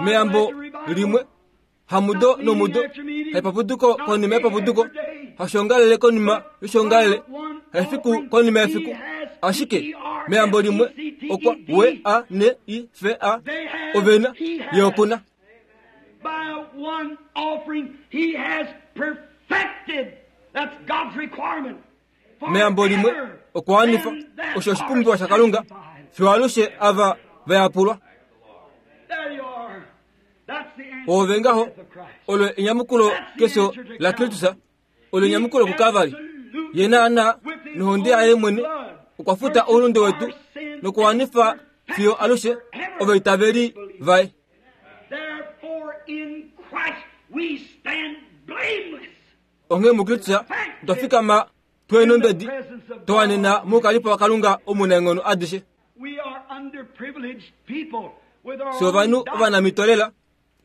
Meyambo limwe hamudo nomudo, haipapuduko konima yepapuduko, hashoongalele konima yoshoongalele, haifiku konima yefiku. Ashike meyambo limwe okwa w a n i f a ovena ye oku na. Meyambo limwe okwa wanifa osho oshipumbiwa shaKalunga fiyo alushe ava va yapulwa. Oove ngaho, olo enyamukulo kefyo laKristus, olo enyamukulo kuKalvari. Ye naanaa nohonde yaye mwene okwa futa oulunde wetu nokuwanifa fiyo alushe ovaitaveli vaye. Onghee muKristus otwa fikama tweenombedi twa wanena moukalipo waKalunga omunaenghono adishe. Fye ovanhu ovanamito lela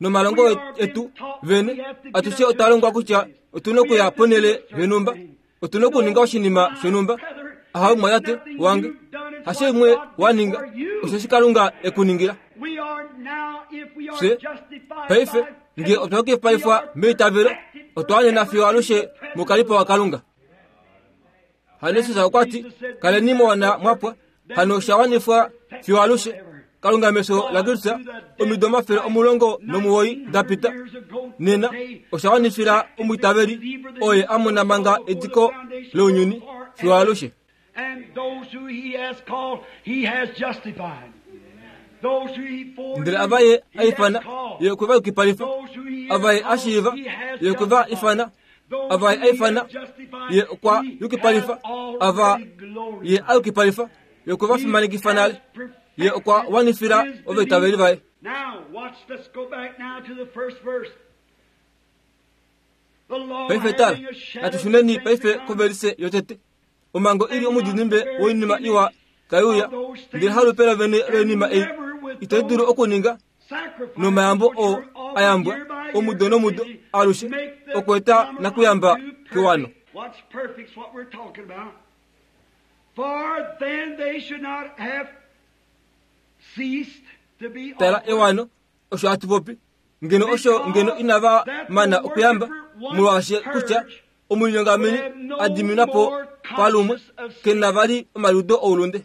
nomalongo etu vene atushe otwa longwa kutya otu na okuya ponhele yonhumba, otu na okuninga oshinima shonhumba. Ahawe mumwatate wange, hasho imwe wa ninga, osheshi Kalunga e ku ningila. Fye paife nge otwa yukipaifwa meitavelo, otwa wanena fiyo alushe moukalipo waKalunga. Hano Jesus okwa ti, Kaleni mwa mwa pwa, hano osha wanifwa fiyo alushe. Kalunga mefyo laKristus omido 190 da pita, nena osha wanifila omwiitaveli oye a mona manga ediko lounyuni fiyo alushe. Ndele ava ye a ifana, ye okwe va yukipalifa. Ava ye a shiiva, ye okwe va ifana. Ava ye a ifana, ye okwa yukipalifa. Ava ye a yukipalifa, ye okwe va fimanekifa nale. Ye okwa wanifila ovaitaveli vaye. Paife tala, natu shuneni paife kovelise yotete. Omhango i li omudidimbe woinima iwa tai uya, ndele halupe lovene loinima ei itai dulu okuninga nomayambo oo a yambwa omudo nomudo alushe okweeta nakuyamba kewano. Tala ewano, osho hatu popi. Ngeno osho ngeno inava mana okuyamba, molwaashi kutya omulinyongameni a diminwa po palumwe ke na vali omaliudo oulunde.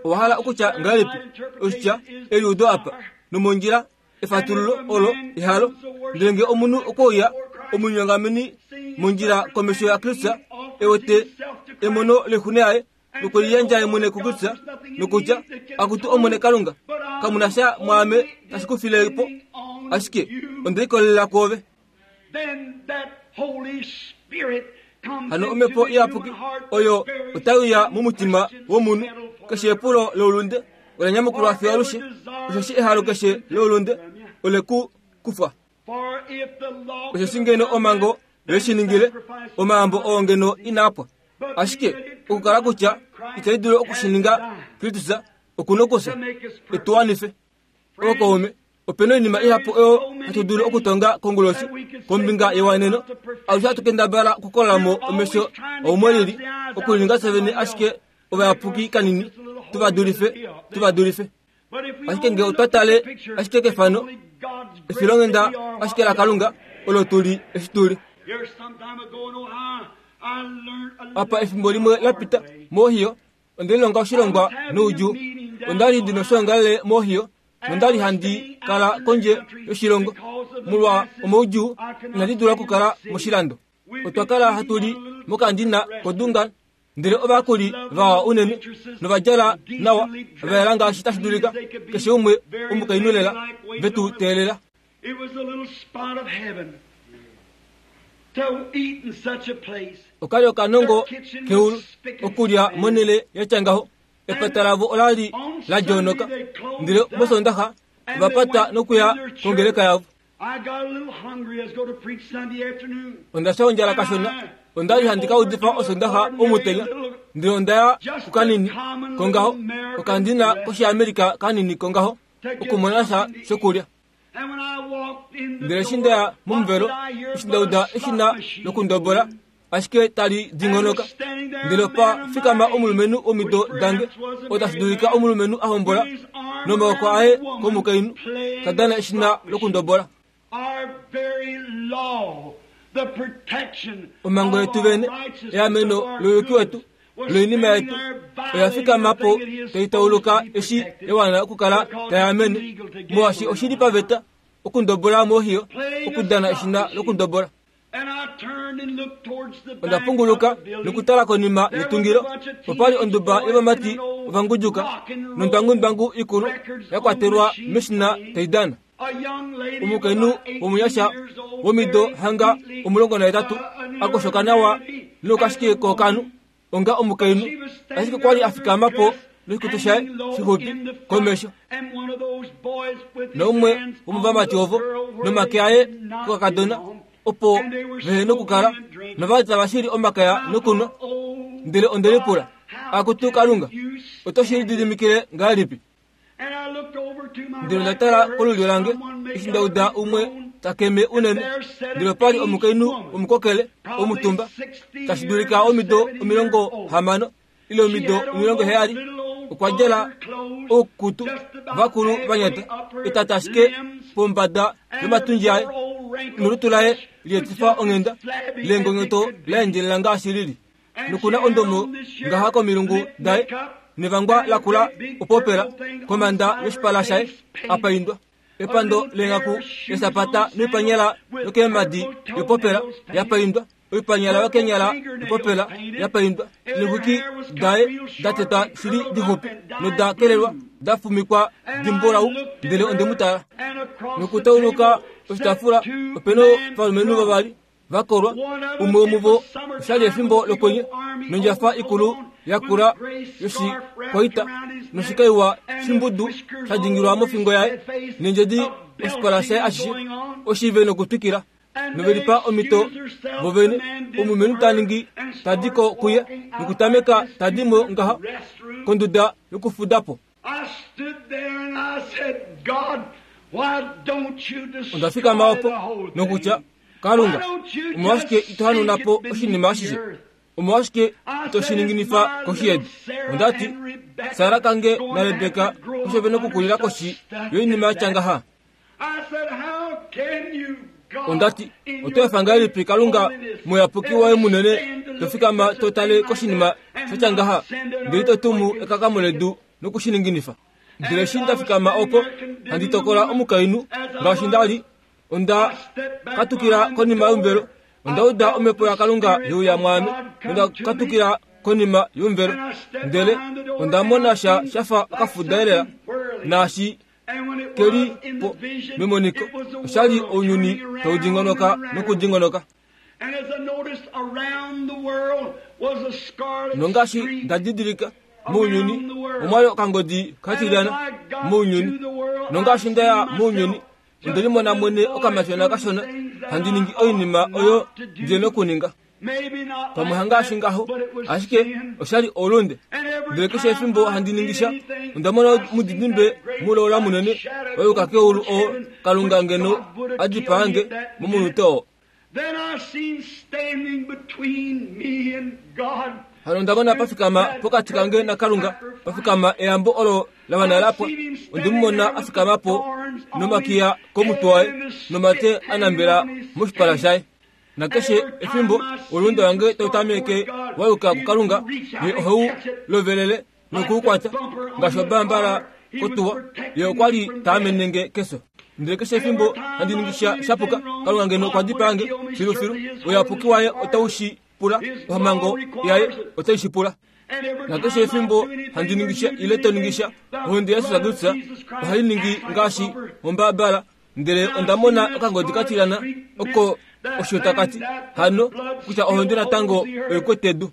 Owa hala okutya ngahelipi oshitya eliudo apa nomondjila efatululo olo ehalo? Ndele ngee omunhu okwe uya omulinyongameni mondjila komesho yaKristus e wete emono loixuna yaye nokuliyandja ye mwene kuKristus nokutya, Akutu Omwene Kalunga, kamu na sha mwaame tashi ku file po, ashike onde likolelela kwoove. Hano omhepo iyapuki oyo otai uya momutima womunhu. Keshe epulo loulunde ola nyamukulwa fiyo alushe, osheshi ehalo keshe loulunde ole ku kufwa. Osheshi ngeno omhango ye shi ningile, omayambo oo ngeno inaa pwa. Ashike okukala kutya itai dulu oku shi ninga, Kristus oku nokufya e tu wanife. Ookaume, ope na oinima ihapu oyo hatu dulu okutonga konguloshi kombinga yewaneno. Alushe hatu kendabala okukola mo omesho aumwe lili, okulininga fye vene ashike ovayapuki kanini, tu va dulife, tu va dulife. Ashike ngee otwa tale ashike kefano, Efilonghenda ashike laKalunga olo tu li eshi tu li. Apa efimbo limwe la pita, moOhio, onde lilonga oshilongwa noudjuu. Onda li ndi noshoongalele moOhio, nonda li handi kala kondje yoshilongo. Molwa omaudjuu, inandi dula okukala moshilando. Otwa kala hatu li mokandina koDungan, ndele ovayakuli vawa unene nova djala nawa, va yela ngaashi tashi dulika, keshe umwe omukainhu lela, ve tu teelela. Oka li okanongo keulu okulya monhele ya tya ngaho. Epata lavo ola li la djoonoka, ndele mOsoondaxa ova pata nokuya kongeleka yavo. Onda fya ondjala kashona. Onda li handi ka udifa Osondaxa omutenya, ndele onda ya kukanini kongaho, okandina kOshiamerika kanini kongaho, okumona sha shokulya. Ndele eshi nda ya momuvelo, eshi nda uda eshina lokundobola, ashike tali dingonoka, ndele opa fikama omulumenhu womido dange, oo tashi dulika omulumenhu a hombola, nomaoko aye komukainhu, ta dana eshina lokundobola. Omhango yetu vene, eameno louyuki wetu, loinima yetu, oya fikama po tai tauluka eshi ya wana okukala tai amene, molwaashi oshi li paveta okundobola mohiyo, okudana eshina lokundobola. Onda punguluka nokutala konima yetungilo, opa li onduba yovamati ovangudjuka nondwangundwangu ikulu ya kwatelwa meshina tai dana. Omukainhu womunyasha womido hanga 18 a koshoka nawa noukashike kookanhu onga omukainhu, ashike kwa li a fikama po noshikutu shaye shixupi komesho. Naumwe womovamati ovo nomake aye kokakadona opo vehe nokukala nova li tava shili omakaya nokunwa. Ndele onde lipula, Akutu Kalunga, oto shi lididimikile ngahelipi? Ndele onda tala kolulyo lange, eshi nda uda umwe ta keme unene, ndele opa li omukainhu womukokele omutumba, tashi dulika omido 60 ile omido 70, okwa djala oukutu vakulu va nyata, etata ashike pombada yomatundji aye, nolutu laye lietifa onghenda, leengonyoto la endjelela ngaashi li li. Noku na ondomo ngaha komilungu daye, nevangwa lakula opopela komanda yoshipala shaye a paindwa. Epando leenghaku lesapata noipanyala yokeemhadi yopopela ya paindwa, oipanyala yokeenyala yopopela ya paindwa, neexwiki daye da tetwa shili dixupi noda kelelwa da fumikwa dimbulau. Ndele onde mu tala. Nokutauluka oshitaafula ope na ovalumenhu vavali va kolwa, umwe womuvo osha li efimbo lokwenye, nondjafa ikulu yakula yoshikwaita noshikaiwa shimbudu sha dingilwa mofingo yaye, nendjedi oshipala shaye ashishe oshive nokutwikila. Nove lipa omhito vo vene, omulumenhu ta ningi ta di ko kuye nokutameka ta di mo ngaha konduda yokufuda po. Onda fikama opo nokutya, Kalunga, omolwashike ito hanauna po oshinima ashishe? Omolwashike ito shi ninginifa koshi yedu? Onda ti, Sara kange naRebeka osho ve nokukulila koshi yoinima ya tya ngaha. Onda ti, Oto efa ngahelipi Kalunga muyapuki waye munene to fikama to tale koshinima sha tya ngaha, ndele ito tumu ekakamo ledu noku shi ninginifa? Ndele eshi nda fikama opo, handi tokola omukainhu ngaashi nda li, onda katukila konima yomuvelo. Onda uda Omhepo yaKalunga ye uya mwaame, nonda katukila konima yomuvelo. Ndele onda mona sha sha fa okafuda elela, naashi ke li po memoniko, osha li ounyuni tau dingonoka nokudingonoka. Nongaashi nda didilika, mounyuni omwa li okangodi ka tilyana mounyuni. Nongaashi nda ya mounyuni, onde limona mwene okamatyona kashona handi ningi oinima oyo ndi nokuninga. Pamwe hangaashi ngaho, ashike osha li oulunde. Ndele keshe efimbo handi ningi sha, onda mona omudidimbe mulola munene wa yuka keulu oo Kalunga ngeno a dipaa nge momunute oo. Hano onda mona pa fikama pokati kange naKalunga, pa fikama eyambo olo la wana la pwa. Onde mu mona a fikama po nomakiya komutwe waye nomate a nambela moshipala shaye. Nakeshe efimbo oulunde wange tau tameke wa yuka kuKalunga, ye oheu lovelele noku u kwata ngaashi obambala kotuwa. Ye okwa li ta amene nge kefyo. Ndele keshe efimbo handi ningi sha shapuka, Kalunga ngeno okwa dipaa nge filufilu. Ouyapuki waye otau shi pula, omhango yaye otai shi pula. Nakeshe efimbo handi ningi sha ile to ningi sha, ohonde yaJesus Kristus ohai ningi ngaashi ombabala. Ndele onda mona okangodi ka tilyana oko osho taka ti hano kutya ohonde natango oi kwete edu.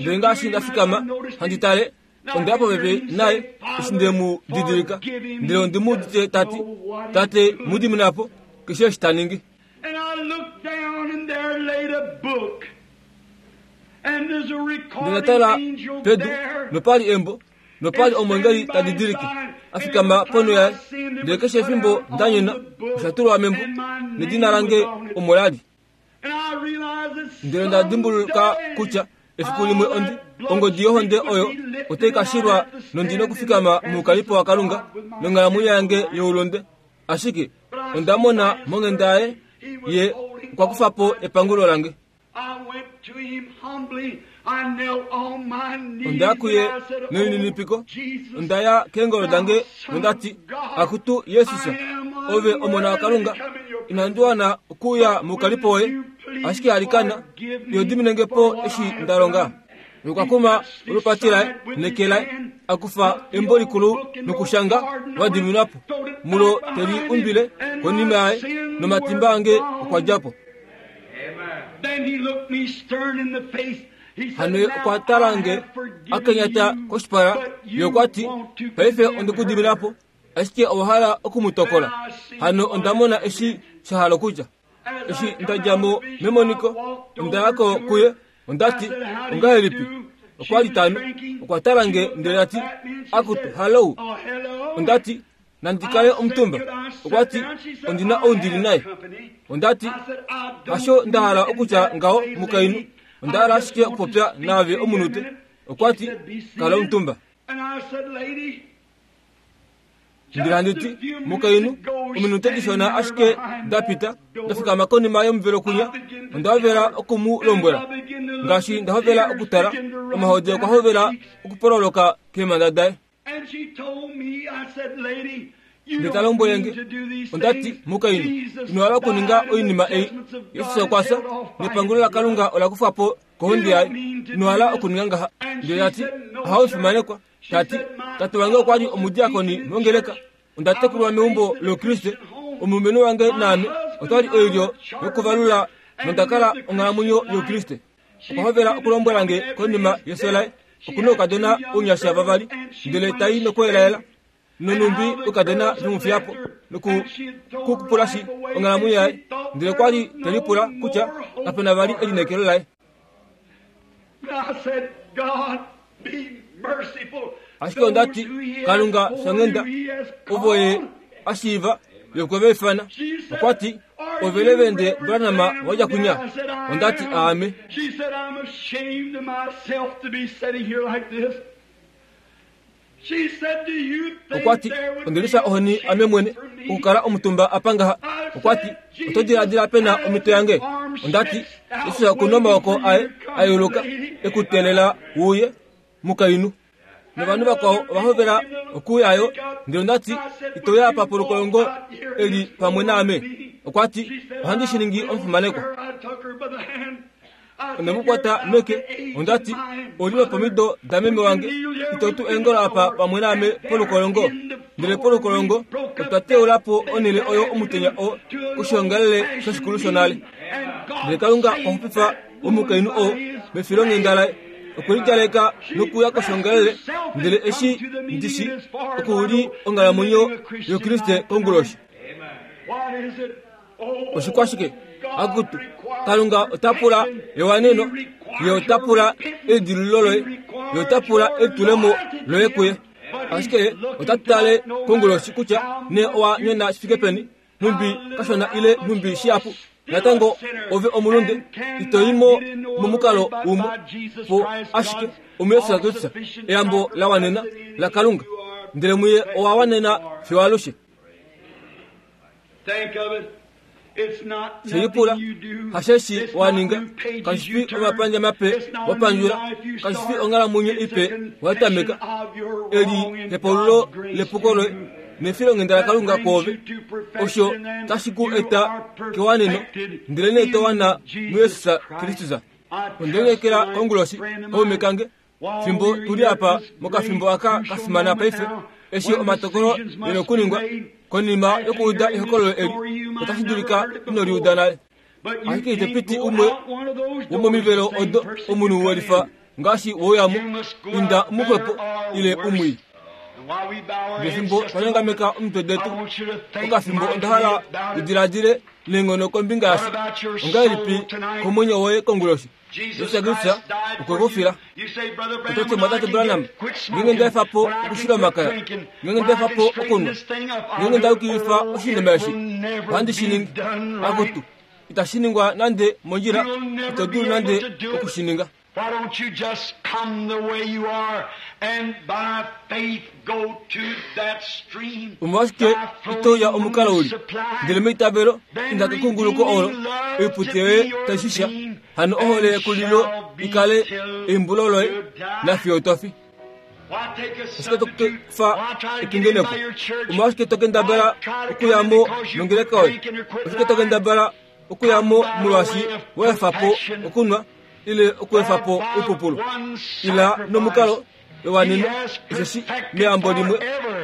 Ndele ngaashi nda fikama handi tale, onda ya popepi naye eshi nde mu didilika, ndele ondi mu udite ta ti, Tate, mu dimina po keshe eshi ta ningi. Ndele nda tala pedu, nopa li embo, nopa li omweengeli ta didilike, a fikama ponho yaye. Ndele keshe efimbo nda nyona, osha tulwa membo, nedina lange omo la li. Ndele nda dimbuluka kutya efiku limwe ondi ongodi yohonde oyo otai ka shilwa nondi nokufikama moukalipo waKalunga nonghalamwenyo yange youlunde. Ashike onda mona monghenda yaye ye okwa kufa po epangulo lange. Onda ya kuye nelininipiko, onda ya keengolo dange nonda ti, Akutu Jesus, ove Omona waKalunga, inandi wana okuuya moukalipo woye, ashike alikana, iho dimine nge po eshi nda longa. Nokwa kuma olupati laye neke laye, a kufa embo likulu nokushanga, Wa diminwa po. Mulo te li umbile konima yaye, nomatimba ange okwa dja po. Hano ye okwa tala nge a kenyata koshipala, ye okwa ti, Paife onde ku dimina po, ashike owa hala oku mu tokola. Hano onda mona eshi sha hala okutya. Eshi nda dja mo memoniko, onda ya ko kuye, onda ti, Ongahelipi? Okwa li ta nu. Okwa tala nge ndele ta ti, Akutu, halou. Onda ti, Nandi kale omutumba? Okwa ti, Ondi na ou ndi li naye. Onda ti, Hasho nda hala okutya ngaho, mukainhu. Onda hala ashike okupopya naave omunute. Okwa ti, Kala omutumba. Ndele handi ti, Mukainhu, ominute dishona ashike da pita, nda fikama konima yomuvelo kwinya, onda hovela oku mu lombwela. Ngaashi nda hovela okutala, omahodi okwa hovela okupololoka keemhanda daye. Ndele ta lombwele nge, onda ti, Mukainhu, ino hala okuninga oinima ei. Jesus okwa fya, nepangulo laKalunga ola kufwa po kohonde yaye. Ino hala okuninga ngaha. Ndele ta ti, Ohau fimanekwa. Ta ti, Tate wange okwa li omudiakoni mongeleka. Onda tekulwa meumbo lOukriste. Omulumenhu wange naame otwa li oilyo yokuvalula nonda kala onghalamwenyo yOukriste. Okwa hovela okulombwela nge konima yefyo laye. Oku na oukadona ounyasha vavali, ndele ta i nokuelaela, nonhumbi oukadona ve mu fiya po noku ku kupulashi onghalamwenyo yaye. Ndele okwa li te lipula kutya kape na vali elineekelo laye. Ashike onda ti, Kalunga fyanghenda, ovo ye a shiiva ye okwe va ifana. Okwa ti, Ove Levende Branham wa dja kwinya? Onda ti, Aame. Okwa ti, Onde lifya ohoni ame mwene okukala omutumba apa ngaha. Okwa ti, Oto diladila pe na omhito yange? Onda ti, Jesus oku na omaoko aye a yeuluka e ku teelela wu uye, mukainhu. Novanhu vakwao ova hovela okuuya yo. Ndele onda ti, Ito uya apa polukolongo eli pamwe naame? Okwa ti, Ohandi shi ningi omufimanekwa. Onde mu kwata meke, onda ti, Oli lopomido dameme wange, ito tu eengolo apa pamwe naame polukolongo? Ndele polukolongo otwa teula po onhele oyo omutenya oo koshiongalele shoshikulu shonale. Ndele Kalunga okwa xupifa omukainhu oo mefilonghenda laye. Okwe lidjaleka nokuya koshiongalele, ndele eshi ndi shi oku li onghalamwenyo yOukriste konguloshi. Oshikwashike? Akutu, Kalunga ota pula ewaneno, ye ota pula elidilululo loye, ye ota pula elitulemo loye kuye. Ashike ota tale konguloshi kutya nee owa nyona shi fike peni, nhumbi kashona ile nhumbi shihapu. Natango ove omulunde, ito i mo momukalo umwe po ashike omuYesus Kristus, eyambo la wanena laKalunga, ndele muye owa wanena fiyo alushe. Shilipula, hasheshi wa ninga, kashi fi omapandja mape wa pandjula, kashi fi onghalamwenyo ipe wa tameka, eli hepaululo lepuko loye nefilonghenda laKalunga kwoove, osho tashi ku eta kewaneno, ndelenee to wana muJesus Kristus. Onde lineekela konguloshi, kaume kange, fimbo tu li apa mokafimbo aka ka fimana paife, eshi omatokolo e na okuningwa, konima yokuuda ehokololo eli, otashi dulika ino li uda nale. Ashike ito piti umwe womomivelo odo omunhu we lifa ngaashi wouyamo, inda muxwepo ile umwii. Ngefimbo twa nyongameka omitwe detu, okafimbo onda hala u diladile neenghono kombinga yasho. Ongahelipi komwenyo woye konguloshi? Jesus Kristus okwe ku fila. Oto ti, Mumwatate Branham, ngeenge nda efa po okushila omakaya, ngeenge nda efa po okunwa, ngeenge nda yukilifa oshinima eshi, ohandi shi ningi. Akutu, itashi ningwa nande mondjila, ito dulu nande oku shi ninga. Why don't you just come the way you are and by faith go to that stream? Omolwashike ito uya omukalo uli? Ndele meitavelo, inda kekunguluko olo, oipute yoye tai shisha, hano ohole yekulilo i kale eimbulo loye nafiyo to fi. Oshike to kufa epingenepo? Omolwashike to kendabala okuya mo nongeleka yoye? Oshike to kendabala okuya mo molwaashi wa efa po okunwa ile okuefa po oipupulu? Ila nomukalo wewaneno, osheshi meyambo limwe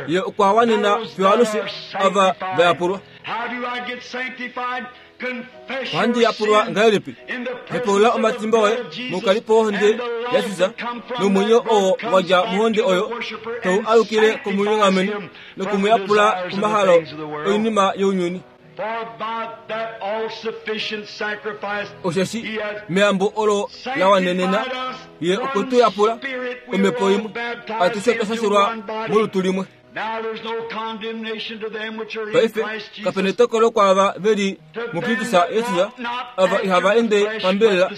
ye okwa wanena fiyo alushe ava va yapulwa. Ohandi yapulwa ngahelipi? Hepaulula omatimba oye moukalipo wohonde yaJesus, nomwenyo oo wa dja mohonde oyo tau alukile komunyongameni noku mu yapula komahalo oinima younyuni. Osheshi meyambo olo la wanenena ye okwe tu yapula omhepo imwe, atushe twa shashelwa molutu limwe. Paife kape netokolo kwaava ve li muKristus Jesus, ava ihava ende pambelela,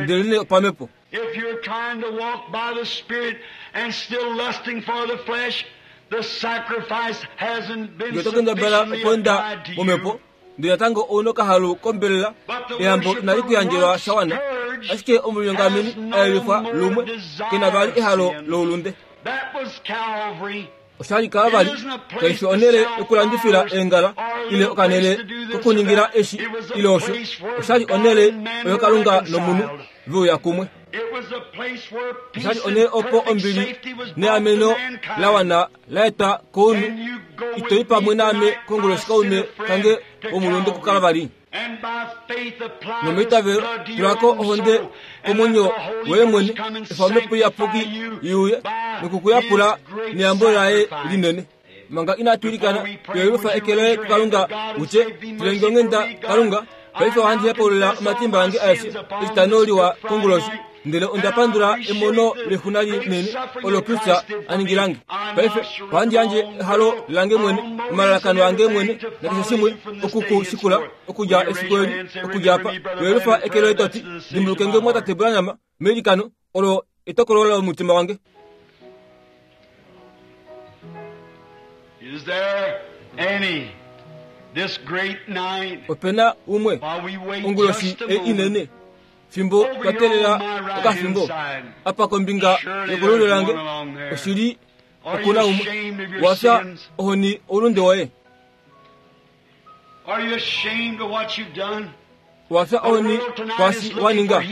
ndelenee opamhepo. If you're trying to walk by the Spirit and still lusting for the flesh, the sacrifice hasn't been Ngee oto kendabala sufficiently okweenda applied to momhepo, you. ndele natango ou na okahalu kombelela, But the eyambo inali ku worshiper yandjelwa once sha wana. purged Ashike omulinyongameni has no a yelifwa more lumwe, desire ke na vali of ehalo sin. loulunde. That was Calvary. Osha li Kalvari, kai fi onhele yokulandifila eengala ile okanhele kokuningila eshi ile osho. Osha li onhele oyo Kalunga nomunhu ve uya kumwe. Osha li onhele opo ombili neameno la wana la etwa kounhu. Ito i pamwe naame konguloshi kaume kange womulunde kuKalvari? Nomeitavelo, tula ko ohonde komwenyo woye mwene, efa Omhepo Iyapuki i uye noku ku yapula neyambo laye linene. Manga inatu ilikana, toyelufa eke loye kuKalunga u tye, File nge onghenda, Kalunga, paife ohandi hepaulula omatimba ange aeshe Etitano liwa konguloshi. Ndele onda pandula emono lexuna linene olo Kristus a ningila nge. Paife ohandi yandje ehalo lange mwene, omalalakano ange mwene nakeshe shimwe oku ku shikula okudja efiku eli, okudja apa. Toyelufa eke loye to ti, Dimbuluke nge Mumwatate Branham meilikano, olo etokolo lomutima wange. Is there any this great night Ope na umwe while we wait onguloshi just a ei moment? inene fimbo twa teelela okafimbo apa kombinga yokolulyo lange, oshili oku na umwe. Wa fya ohoni oulunde woye. Are you ashamed of what you've done? Wa fya ohoni kwaashi wa ninga.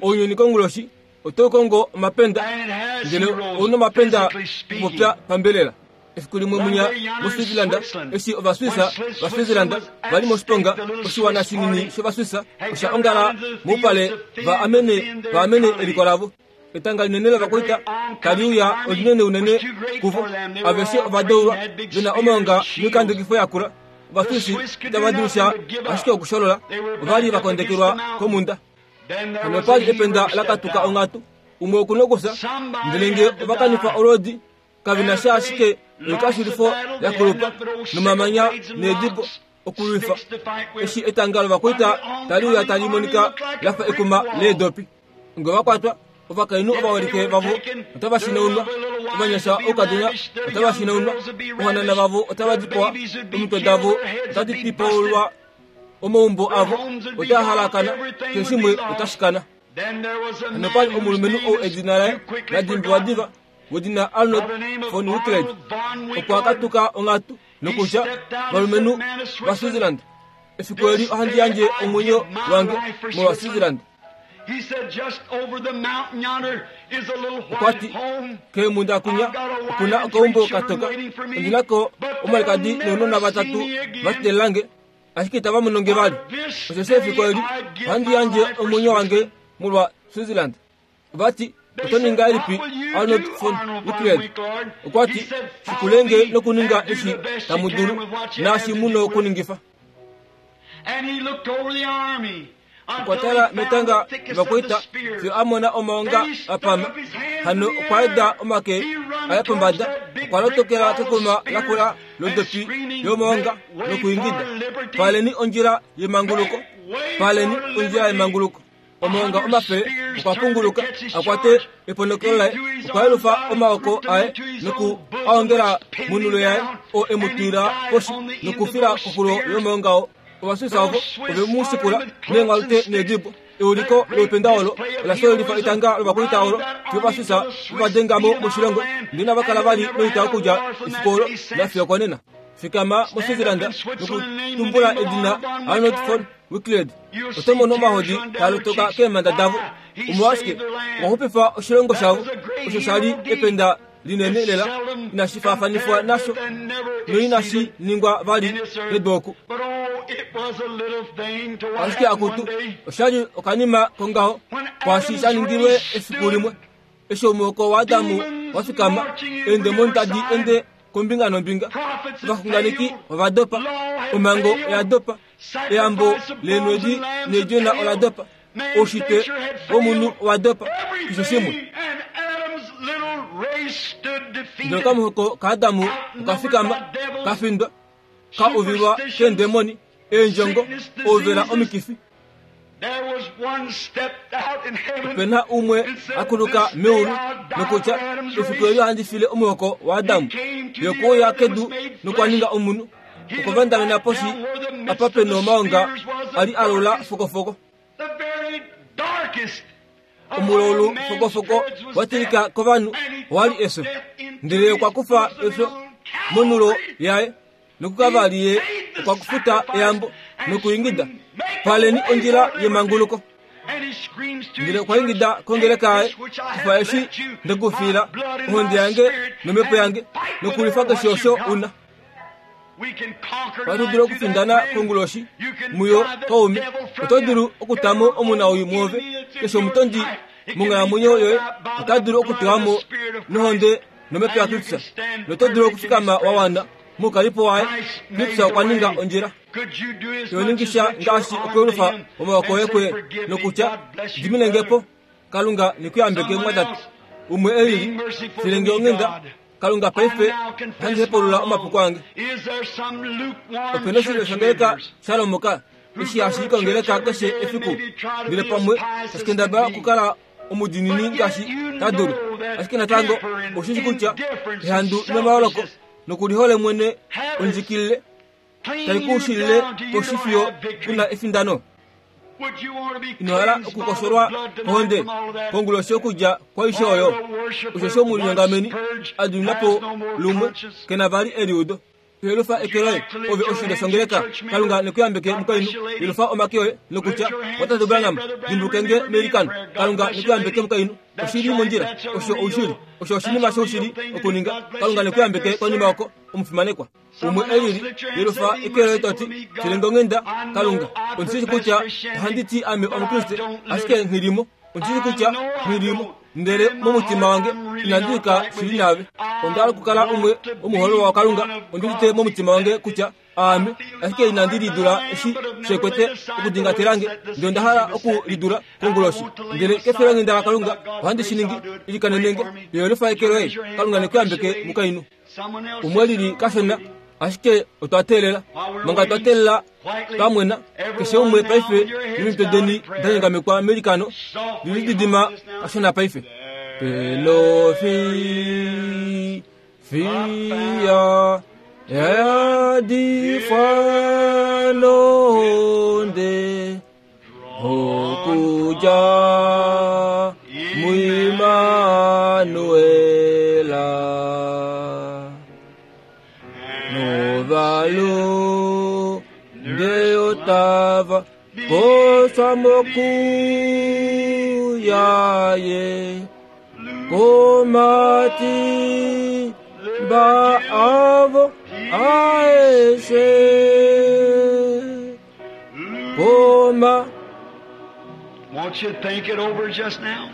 Ounyuni konguloshi otau kongo omapenda, And it has ndele heroes, ou na omapenda physically speaking. okupopya pambelela. Efiku limwe munya muSwitzerland, eshi Ovaswisa vaSwitzerland va li moshiponga, oshiwana shinini shOvaswisa osha ongala moupale va amene va amene eliko lavo. Etanga linene lovakwaita tali uya olinene unene kuvo. Aveshe ova deulwa, ve na omaonga noikandekifo yakula. Ovaswisi itava dulu sha ashike okusholola. Ova li va kondekelwa komhunda. Then there Hano was opa a li ependa hero la stepped katuka out. onghatu. Umwe oku na okufya, ndele nge ova kanifa olwoodi, kave na sha ashike oikashulifo ya kulupa nomamanya needibo Okulwifa eshi etanga lovakwaita tali uya tali monika la fa ekuma leedopi. Nge va kwatwa, ovakainhu ovaholike vavo otava shinaunwa, ovanyasha oukadona otava shinaunwa, ohanana vavo otava dipawa, omitwe davo otadi pipaulwa, omaumbo avo otaa halakana, keshe shimwe otashi kana. Nopa li omulumenhu ou edina laye la dimbiwa diva wedina Arnold von Winkelried okwa katuka onghatu nokutya valumenhu vaSwitzerland efiku eli ohandi yandje omwenyo wange molwa Switzerland. Okwa ti, Keemhunda kunya oku na okaumbo ka toka. Ondi na ko omwalikadi nounona vatatu va teelela nge. Ashike itava mono nge vali. Osheshi efiku eli ohandi yandje omwenyo wange molwa Switzerland. Ova ti, Oto ningi ngahelipi Arnold von Winkelried? Okwa ti, Shikule nge nokuninga eshi tamu dulu, naashi mu nokuningifa. Okwa tala metanga lovakwaita fiyo a mona omaonga a pama. Hano okwa yeda omake aye pombada, okwa lotokela kekuma lakula lodopi yomaonga nokuingida, Paleni ondjila yemanguluko! Paleni ondjila yemanguluko! Omaonga omape okwa punguluka a kwate eponokelo laye, okwa yelufa omaoko aye noku a ongela monulo yaye, oo e mu twila poshi nokufila koxulo yomaonga oo. Ovaswisa ovo ove mu shikula neenghwalute needibo. Euliko loupenda olo ola shololifa etanga lovakwaita olo fiyo Ovaswisa ve va denga mo moshilongo, ndele inava kala vali noita okudja efiku olo nafiyo okonena. Fikama moSwitzerland nokutumbula edina Arnold von Winkelried. Oto mono omahodi taa lotoka keemhanda davo. Omolwashike? Okwa xupifa oshilongo shavo, osho sha li ependa linene lela inashi faafanifwa nasho noinashi ningwa vali nedu oku. Ashike akutu, osha li okanima kongaho kwaashi sha ningilwe efiku limwe eshi omuhoko waAdamu wa fikama, eendemoni tadi ende kombinga nombinga, ovaxunganeki ova dopa, omhango oya dopa, eyambo leenwedi needjona ola dopa, oushitwe womunhu owa dopa, keshe shimwe. Ndele okamuhoko kaAdamu oka fikama, ka findwa, ka uvilwa keendemoni, eendjongo, ouvela omikifi. Ope na umwe a kuluka meulu nokutya, Efiku eli ohandi file omuhoko waAdamu. Ye okwe uya kedu nokwa ninga omunhu. Okwa vandamena poshi apa pe nomaonga a li a laula fokofoko. Omulaulu fokofoko wa tilika kovanhu owa li efyo. Ndele ye okwa kufa efyo monulo yaye nokuKalvari ye okwa kufuta eyambo nokuingida, Paleni ondjila yemanguluko. Ndele okwa ingida kongeleka yaye, Kufa eshi nde ku fiila, ohonde yange nomhepo yange, nokulwifa keshe osho u na. Ohatu dulu okufindana konguloshi muyo kaume. Oto dulu okutamo omunawii mwoove. Keshe omutondi monghalamwenyo yoye ota dulu okutewa mo nohonde nomhepo yaKristus. Noto dulu okufikama wa wana moukalipo waye. Kristus okwa ninga ondjila. Yoningisha ngaashi okuyelufa omaoko oye kuye nokutya, Dimine nge po, Kalunga ne ku yambeke, mumwatate. Umwe e lili, file nge onghenda. Kalunga paife ohandi hepaulula omapuko ange. Ope na oshilyo shongeleka sha lomoka eshi hashi i kongeleka keshe efiku, ndele pamwe tashi kendabala okukala omudiinini ngaashi ta dulu. Ashike natango ou shi kutya ehandu nomaoloko nokulihole mwene ondjikilile tai ku shilile koshi fiyo ku na efindano. Ino hala okukosholwa kohonde konguloshi okudja kwaishe oyo? Osheshi omulinyongameni a dimina po lumwe, ke na vali eliudo. Yelufa eke loye, ove oshilyo shongeleka. Kalunga ne ku yambeke, mukainhu. Yelufa omake oye, nokutya, Watate Branham, dimbuluke nge meilikano. Kalunga ne ku yambeke, mukainhu. Oshi li mondjila. Osho oushili. Osho oshinima shoushili okuninga. Kalunga ne ku yambeke konima oko, omufimanekwa. Umwe e lili, yelufa eke loye to ti, File nge onghenda, Kalunga. Ondi shii kutya ohandi ti ame Omukriste, ashike nghi li mo. Ondi shii kutya nghi li mo. Ndele momutima wange inandi yuka shili naave. Onda hala okukala umwe womuhoololwa waKalunga. Ondi udite momutima wange kutya aame, ashike inandi lidula eshi she kwete okudingatela nge. Ndele onda hala oku lidula konguloshi. Ndele kefilonghenda laKalunga ohandi shi ningi. Ilikanene nge. Yelufa eke loye. Kalunga ne ku yambeke, mukainhu. Umwe lili kashona. Ashike otwa teelela. Manga twa teelela twa mwena, keshe umwe paife nomitwe deni da nyongamekwa meilikano, lilididima kashona paife. Pelofi fiya yadifwa nohonde okuja muImanuela novalu ndeyotava koswa mokuyaye komati ba avo aeshe koma. Won't you think it over just now?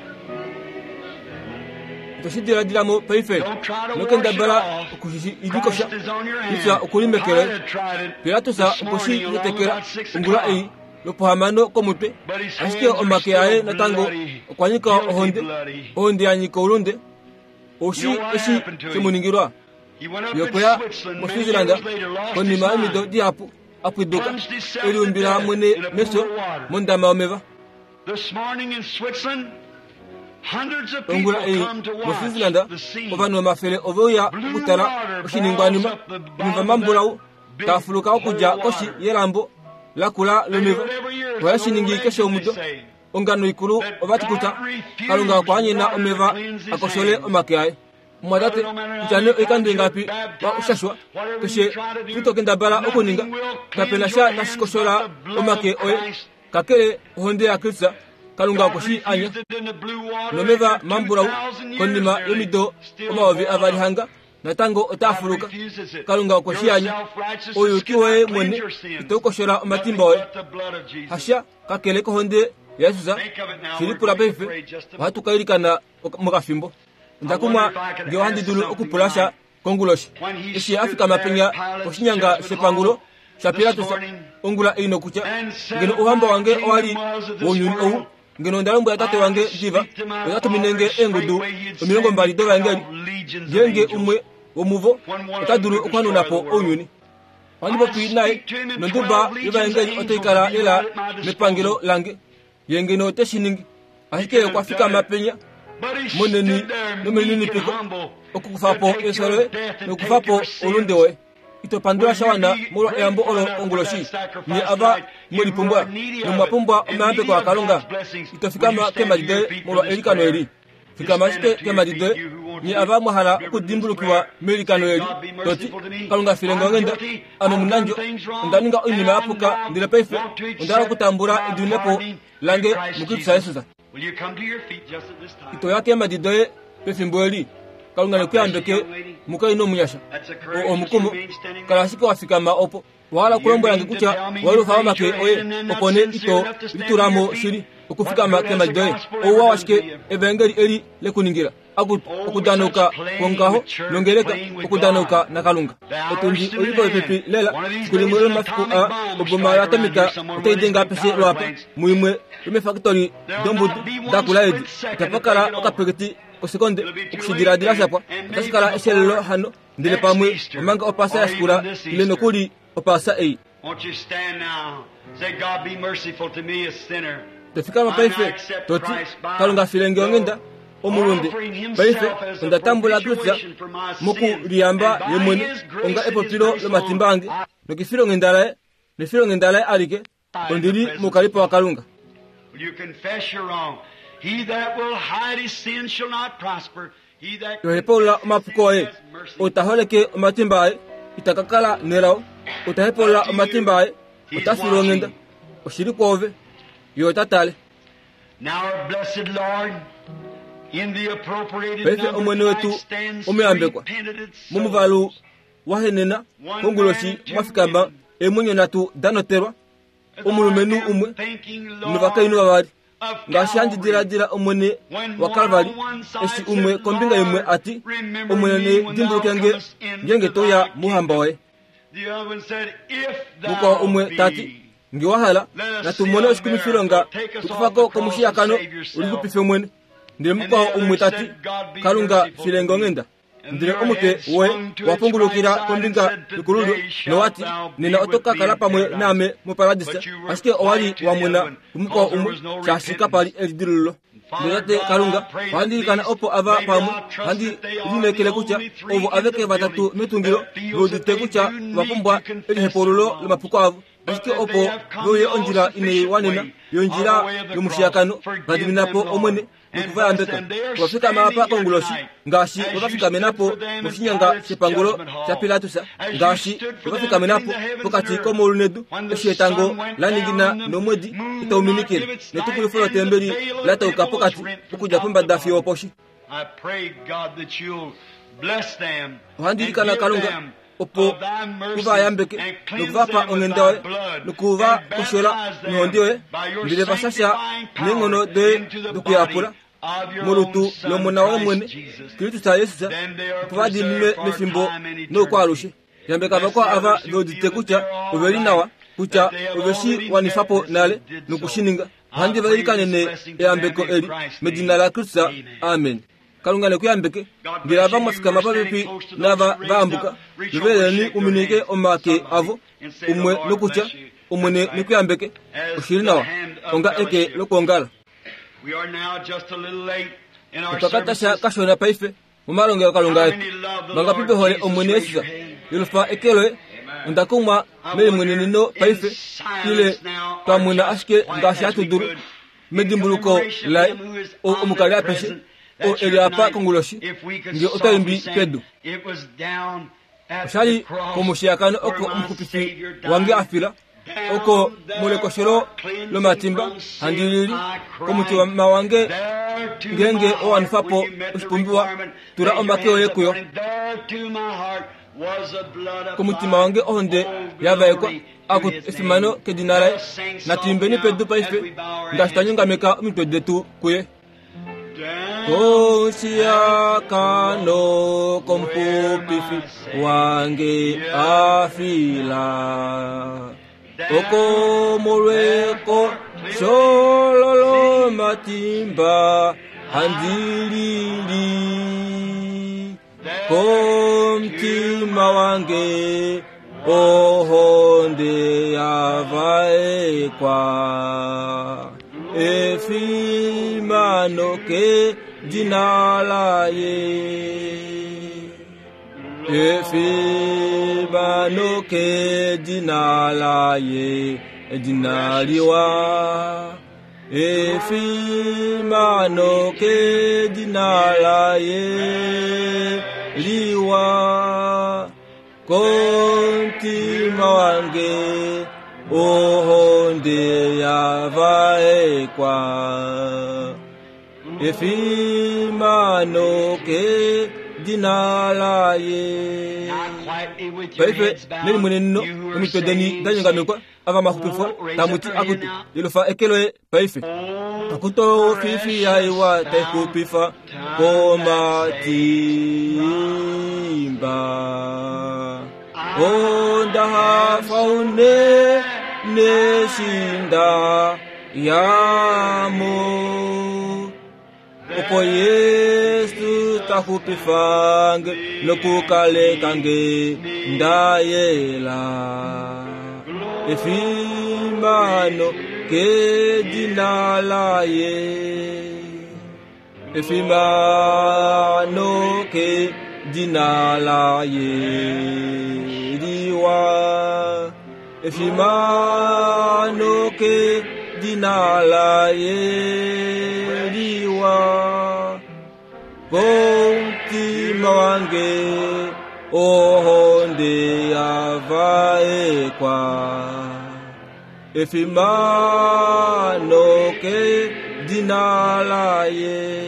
Itoshi diladila mo paife. Don't try to No wash it kendabala off. okushidikosha. Christ is on your Kutya hand. okuli meke loye. Pilate tried it Pilatus this okwe shi morning around tetekela about 6 ongula o'clock. ei lwopohamano komutwe. But his Ashike hands are omake still aye natango bloody, okwa nyika guilty ohonde, bloody. ohonde ya nyika oulunde. Oushi You know what eshi happened to him? she mu ningilwa? He went up Ye in okweya Switzerland many moSwitzerland years later, lost his konima yomido mind. dihapu, a pwiduka, Plunged himself e to liumbila death mwene in a pool mefyo of water. mondama yomeva. This morning in Switzerland, hundreds of people Ongula ei come to watch moSwitzerland the scene. ovanhu omafele ove uya Blue okutala water oshiningwanima boils up the omeva bottom of mambulau that big taa fuluka okudja hole koshi water. yelambo lakula They do lomeva. it every year. It's Ohaye an shi old ningi keshe legend, they omudo. say, Ongano ikulu that ova ti kutya God refused Kalunga okwa anyena water to omeva cleanse his a koshole hands. omake aye. Mumwatate, Brother, no matter how kutya nee many oikando times you're ingapi wa baptized, ushashwa, whatever you keshe try to do, tuu to kendabala okuninga, nothing will kape na cleanse sha your tashi hands koshola but the blood omake of oye, Christ. kakele ohonde yaKristus, Kalunga God okwe shi anya. refused it in the blue water Nomeva after mambulau 2,000 years konima nearly, yomido still omayovi boiled avali up. hanga, natango otaa God fuluka. refuses it. Kalunga okwe shi Your anya. self-righteousness Ouyuki woye cannot mwene cleanse your sins. itau koshola Nothing omatimba oye. but the blood of Jesus. Hasha kakele kohonde yaJesus. Think of it now. Shi We're lipula going to paife, pray just a ohatu ka ilikana mokafimbo. I Onda wonder kumwa if I could ngee ohandi ask dulu something okupula sha tonight. konguloshi. When he Eshi a stood fikama there penya at Pilate's koshinyanga judgment shepangulo hall sha this Pilatus morning ongula ei nokutya, and said, ngeno If ouhamba my wange owa li kingdom was of this wounyuni ou, world, ngeno onda lombwela tate I wange would diva, speak to my ota tumine Father nge eengudu straightway. He'd omilongo send mbali dovaengeli, 12 legions of ngeenge angels. umwe womuvo When one of ota them dulu could okuhanuna destroy po the world. ounyuni. Ohandi I popi naye speak to him in nonduba 12 legions of yovaengeli otai angels kala would be lela right at my mepangelo disposal. lange, ye ngeno ote shi ningi. He Ashike could okwa have done fikama it. penya But he moneni stood there meek and nomelininipiko humble okukufa to po take efyo your loye death and nokufa take po your oulunde sins. woye. Ito pandula Will sha you wana be molwa eyambo grateful olo enough for konguloshi? that sacrifice Nye ava tonight? You mwe who lipumbwa are needy of nomwa it pumbwa and omayambeko needy of aKalunga. God's blessings, Ito will you fikama stand to keemhadi your doye feet for molwa this eilikano prayer? eli. Just Fikama stand ashike up to your keemhadi feet, doye you who want nye to be ava mwa hala remembered in this okudimbulukiwa prayer. meilikano Say, eli, God be toti, merciful to me. Kalunga file nge I'm onghenda, guilty. ame I've done omunandjo, things onda wrong, ninga and oinima ya I puka, now ndele paife want to onda hala accept okutambula my edidinepo pardoning through lange Christ muKristus Jesus. Jesus. Will you come to your feet just at this time? Ito ya keemhadi doye pefimbo eli. Kalunga God bless you, nekuyambeke young lady. mukainhu omunyasha. That's a O courageous omukumo, remain standing kala there. ashike wa fikama opo. Owa hala You okulombwela nge mean to kutya tell me wa you lufa raised omake your oye hand and then not opo nee sincere ito enough to stand to litula mo your feet? shili What okufikama good has keemhadi the doye? gospel Ouwa ever done washike to you? evaengeli eli lekuningila? Akutu, Oh, we're such okudanauka playing kwongaho with church, nongeleka playing with okudanauka God. naKalunga. The hour's Otundi soon oli at popepi hand. lela One of these fiku limwe days an lomafiku atomic aa bomb will oboma strike around yatomika here somewhere, otai one of these denga big apeshe power lwaapa plants. muimwe yomefakitoli There'll dombudu not be one dakula edi. split second Itapa to kala think it over. okapeketi kosekonde It'll be too late okushidiladila then, shapwa. and Otashi maybe kala eshelelo before hano ndele next pamwe Easter, omanga opaasa or ya shikula even this ile Easter. nokuli opaasa ei. Won't you stand now? Say, God be merciful to me, a sinner. To fikama I now paife accept toti Christ by Kalunga file nge onghenda the omulunde. offering Paife himself as a onda tambula Kristus propitiation for my sins, mokuliyamba and ye by mwene his grace onga and his epopilo grace lomatimba alone, ange I nokefilonghenda laye nefilonghenda laye alike am in the ondili presence of moukalipo God. waKalunga. Will you confess your wrong? He that will hide his sin shall not prosper. He that Tohepaulula confesses his omapuko sins oye, has mercy. ou ta holeke omatimba aye ita ka kala nelao. Ou ta hepaulula Up to omatimba you. aye He's ota filwa onghenda. watching. Oshili kwoove, ye ota tale. Now, our blessed Lord, in the appropriated Paife number Omwene tonight wetu stands three omuyambekwa penitent momuvalu souls. wahenena One man konguloshi and two mwa fikama women. eemwenyo nhatu da notelwa As I omulumenhu am umwe thinking, novakainhu Lord, vavali. of Ngaashi handi Calvary, diladila Omwene when wa one Kalvari, on one eshi side umwe said, kombinga imwe Lord, ati, remember Omwene me when thou dimbuluke nge comest ngeenge into to uya thy mouhamba kingdom. woye. The other one said, If Mukwao thou umwe tati, be. nge wa hala, Let us natu see mone a oshikumifilonga miracle. Take us off the tukufako cross and komushiyakano save yourself. ulixupife mwene. Ndele And the mukwao umwe other tati, said, God be Kalunga merciful file to nge me. onghenda. Ndele omutwe woye wa pungulukila kombinga yokululyo nowati, Nena oto ka kala pamwe naame moparadisa. Ashike owa li wa mwena kumukwao umwe, shaashi kapa li elidilululo. Ndele Tate Kalunga, ohandi ilikana opo ava pamwe, ohandi lineekele kutya ovo aveke vatatu metungilo ve udite kutya ova pumbwa elihepaululo lomapuko avo. Ashike opo ve uye ondjila inai wanena yondjila yomushiyakano, va dimina po, Omwene, noku va yambeka. Ova fikama apa konguloshi, ngaashi we va fikamena po moshinyanga shepangulo shaPilatus, ngaashi we va fikamena po pokati komaulu nedu, eshi etango la ningina nomwedi itau minikile, netukulifo lotembeli la tauka pokati okudja pombada fiyo oposhi. Ohandi ilikana Kalunga, opo u va yambeke noku va pa onghenda yoye noku va koshola nohonde yoye, ndele va shasha neenghono doye dokuyapula molutu lOmona woye mwene, Kristus Jesus, opo va diininwe mefimbo noukwaalushe. Yambeka vakwao ava ve udite kutya ove li nawa, kutya ove shi wanifa po nale noku shi ninga. Ohandi va ilikanene eyambeko eli medina laKristus. Amen. Kalunga ne ku yambeke. Ngele ava mwa fikama popepi naava va ambuka, loveleni u minike omake avo, umwe nokutya, Omwene ne ku yambeke. Oshi li nawa, onga eke lokwoongala. Otwa ka tasha kashona paife momalongelokalunga etu. Vangapi ve hole Omwene Jesus? Yelufa eke loye. Onda kumwa melimweneneno paife, ile twa mwena ashike ngaashi hatu dulu. Medimbuluko laye, ou omukali apeshe, ou e li apa konguloshi, nge ota imbi pedu. Osha li komushiyakano oko omuxupifi wange a fila, oko molekoshelo lomatimba handi lili komutima wange ngeenge owa wanifa po oshipumbiwa, tula omake oye kuyo. Komutima wange ohonde ya vaekwa, Akutu, efimano kedina laye. Natu imbeni pedu paife, ngaashi twa nyongameka omitwe detu kuye. Koshiakano komupupifi wange a fila oko molweko shololo matimba handi lili Komutima wange ohonde ya vaekwa efimano kedina laye efimano kedina laye edina liwa Efimano kedina laye liwa komutima wange ohonde ya vaekwa efimano kedina laye. Paife nelimweneneno omitwe deni da nyongamekwa. Ava mahupifwa tamu ti akutu yelufa eke loye paife. Akutu fifi yaiwa tai xupifa komatimba. Onda hafa unene shinda yamo. Opo Yesu ta xupifange nokukalekange nda yela. Efimano kedina laye. Efimano kedina laye liwa. Efimano kedina laye liwa. Komutima wange ohonde ya vaekwa. Efimano kedina laye.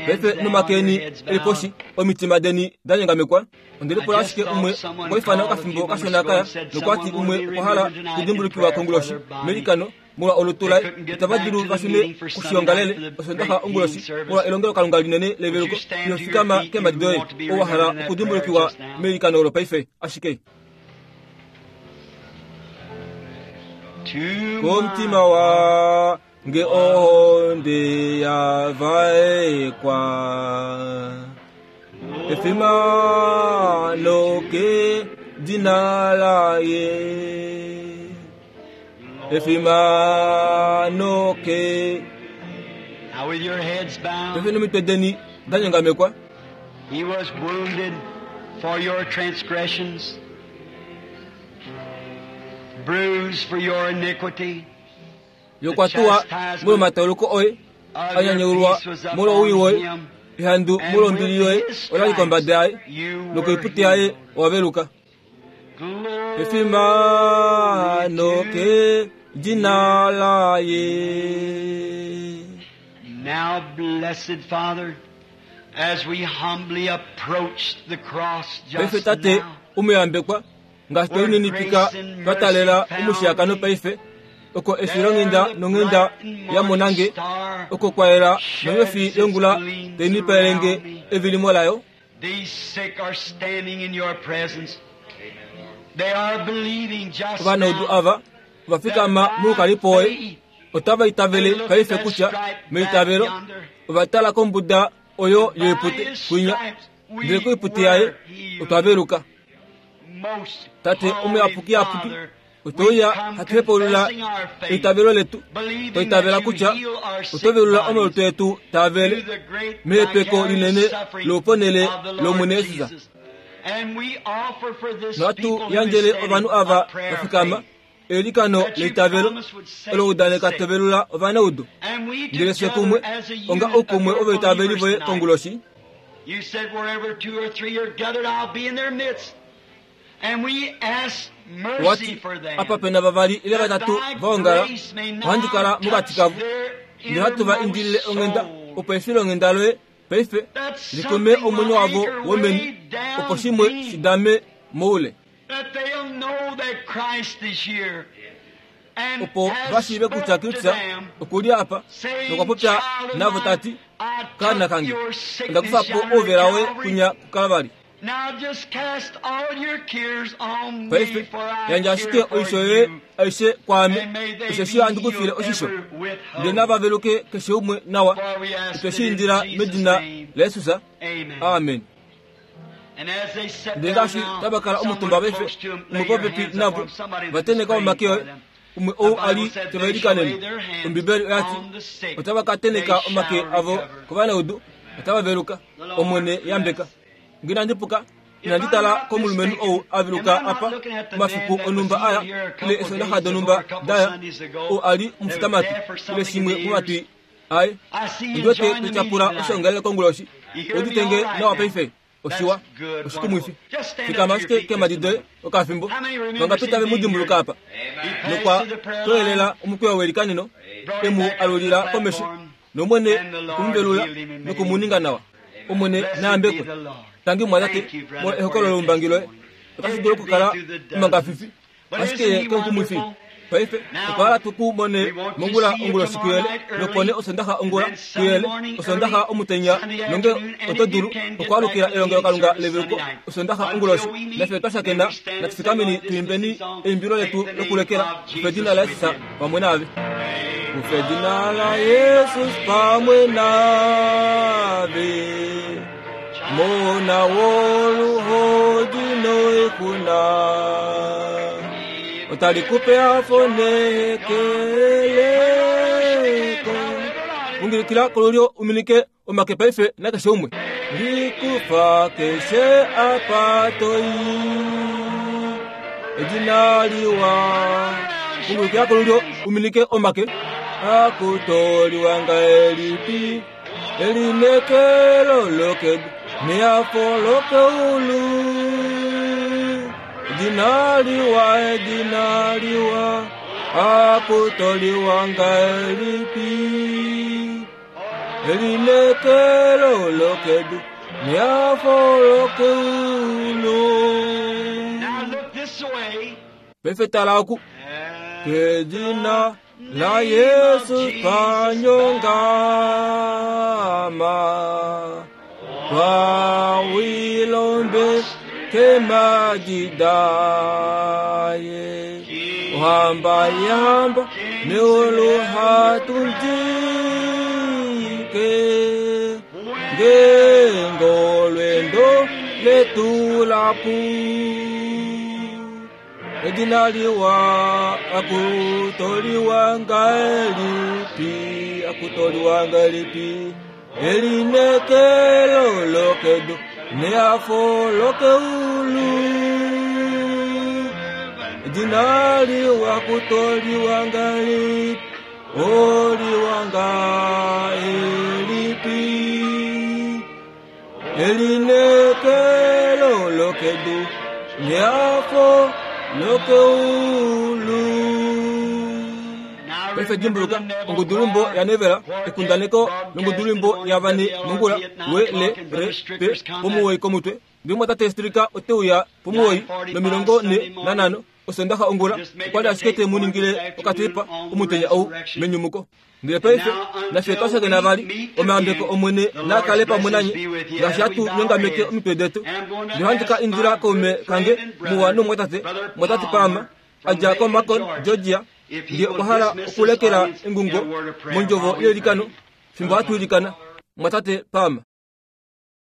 Paife nomakeni eli poshi, omitima deni da nyongamekwa. Onde lipula ashike umwe okwa ifana okafimbo kashona kaya nokwa ti umwe okwa hala okudimbulukiwa konguloshi meilikano molwa olutu laye. Itava dulu va shune koshiongalele Osondaxa onguloshi molwa elongelokalunga linene leveluko. Ino fikama keemhadi doye ou wa hala okudimbulukiwa meilikano olo paife. Ashike. Komutima wange ohonde ya vaekwa. Efimano kedina laye. Efimano ke. Now with your heads bowed, Paife nomitwe deni da nyongamekwa. He was wounded for your transgressions, bruised for your iniquity. Ye okwa tuwa molwomatauluko oye, Of a your nyanyaulwa peace was upon molwowii woye, him, ehandu and molwombili with yoye his ola li kombada yaye, stripes you were nokoiputi yaye healed. owa veluka. Glory Efimano to kedina laye. Now, blessed Father, as we humbly approach the cross Paife just tate now, omuyambekwa ngaashi where twelinenipika grace and twa mercy taalela found omushiyakano me, paife oko there efilonghenda the nonghenda bright and morning yamonange star oko kwayela nonyofi sheds its yongula gleam teinipalelenge throughout me. evilimo layo. These sick are standing in your presence. They are believing just Ovanaudu now ava ova that fikama by moukalipo woye faith otava they itavele look at paife that kutya stripe back meitavelo yonder. ova tala kombuda oyo By yoipute his kwinya stripes ndele we koiputi yaye were healed. otwa veluka. Most Tate holy omuyapukiyapuki Father, we otouya come hatu hepaulula confessing our faith, eitavelo letu believing twaitavela that you kutya heal our sick oto velula bodies omalutu etu taavele through the great mehepeko vicarious linene suffering louponele of the Lord lOmwene Jesus. Jesus. And we offer for this Nohatu people who is yandjele standing ovanhu a ava prayer of vafikama faith eilikano that you leitavelo promise would save olo the udaneka sick. tovelula ovanaudu. And we Ndele fye together kumwe as a onga unit of oukumwe your ovaitaveli believers voye tonight, konguloshi you said wherever two or three are gathered, I'll be in their midst. And we ask mercy wati for them. apa pena vavali ile That vatatu thy vaongala grace may ohandi now kala mokati touch kavo their ndele hatu va innermost indilile onghenda soul. opo efilonghenda loye paife That likume something omwenyo will wavo anchor womeni way down opo shimwe deep, shidame moule that they'll know that Christ is here and opo has vashiive kutya spoke to Kristus them, okuli apa saying, nokwa popya Child of navo mine, tati I kaana took kange your onda sickness kufa po yonder at ouvela woye Calvary. kunya kuKalvari. Now just cast all your cares on me, Paife for I yandja care ashike for oisho yoye you. aishe kwaame And may they osheshi be ohandi kufile healed oshisho ever with ndele hope. nava veluke keshe umwe nawa. For we ask Otwe it shi in indila Jesus' medina name. laJesus. Amen. Amen. And as they sat Ndele down ngaashi now, tava kala someone omutumba paife close to them, lay umwe your popepi hands navo upon somebody that is vateneka praying omake for oye them. umwe The ou a Bible li said teva they shall lay ilikanene. their hands Ombibeli oyati on the sick, otava ka they teneka omake shall avo recover. kovanaudu otava veluka. The Lord Omwene yambeka. bless. Nge inandi puka If inandi I'm tala not komulumenhu mistaken, ou a am veluka I not apa looking at the man omafiku that was onhumba healed aya here a ile couple eesondaxa days ago or donhumba a couple daya Sundays ago ou a li that was omufutamati deaf or ile something in shimwe the ears? momatwi aye? I see you Ondi wete enjoying the meeting totyapula tonight. oshoongalele konguloshi. You hear me Oudite all nge right nawa now? paife? Oshiwa That's good, oshikumwifi. wonderful. Just stand up Fikama to your ashike feet just a keemhadi doye moment. okafimbo. How many remembers Vangapi him tave mu being here? dimbuluka apa? He passed Nokwa through the prayer line, toelela omukweyo welikaneno brought him emu back up to the alulila komesho platform, nomwene and the Lord kumuvelula healed him and made him nokumuninga nawa. Omwene Blessed be nayambekwe. the Lord. Tangi mwatate Thank you, brother, molwa for ehokololo your loumbangi loye. testimony. Otashi It dulu could be okukala through the dozens. omangafifi But ashike isn't he kenkumwifi. wonderful? Paife otwa hala tuku mone We want to mongula see you onguloshi tomorrow kuyele night early, nopone osondaxa and ongula then Sunday kuyele morning osondaxa early, omutenya Sunday nonge afternoon, and oto if you dulu can get back okwaalukila to the elongelokalunga meeting service leveluko Sunday night. osondaxa Until onguloshi. we meet, Nafye twa may shakena we stand and sing natufikameni our tuimbeni dismissing song. eimbilo Take letu the name lokulekela of kufa edina Jesus la with Jesus you. pamwe naave. Kufa edina la Jesus pamwe naave. Mona woluhodi noikuna. Otali kupe afo nehekeleko. Ungilikila kolulyo uminike omake paife nakeshe umwe. Likufa keshe apa toi. Edina liwa. Ungilikila kolulyo uminike omake. Akutoliwa ngahelipi. Elinekelo lokedu neafo lokeulu. Edina liwa, edina liwa, akutoliwa ngahelipi. Elinekelo lokedu neafo lokeulu. Now look this way. Paife tala oku. At Kedina the la name of Jesus Jesus panyongama Wawilombe kemajidaye Uhamba yamba meulu hatundike Ngengolwendo letu lapu. Edina liwa akutoliwa ngahelipi, akutoliwa ngahelipi, elinekelo lokedu nehafo lokeulu. Edina liwa akutoliwa ngahelipi, oliwa ngahelipi, elinekelo lokedu nehafo lokeulu. Paife dimbuluka ongudulumbo yanevela ekundaneko longudulumbo yavane mongula we le re p pomuwoi komutwe. Ndele Strika ote uya pomuwoi no45 osondaxa ongula okwali ashike te mu ningile okatipa omutenya ou menyumuko. Ndele paife nafye twa shakena vali omayambeko Omwene naa kale pamwe nanye ngaashi hatu nyongameke omitwe detu. Ndele ohandi ka indila kaume kange muwa nomumwatate, mumwatate Palmer, a dja koMacon, Georgia, nge okwa hala okulekela engungo mondjovo yeilikano fimbo hatu ilikana. Mumwatate Palmer.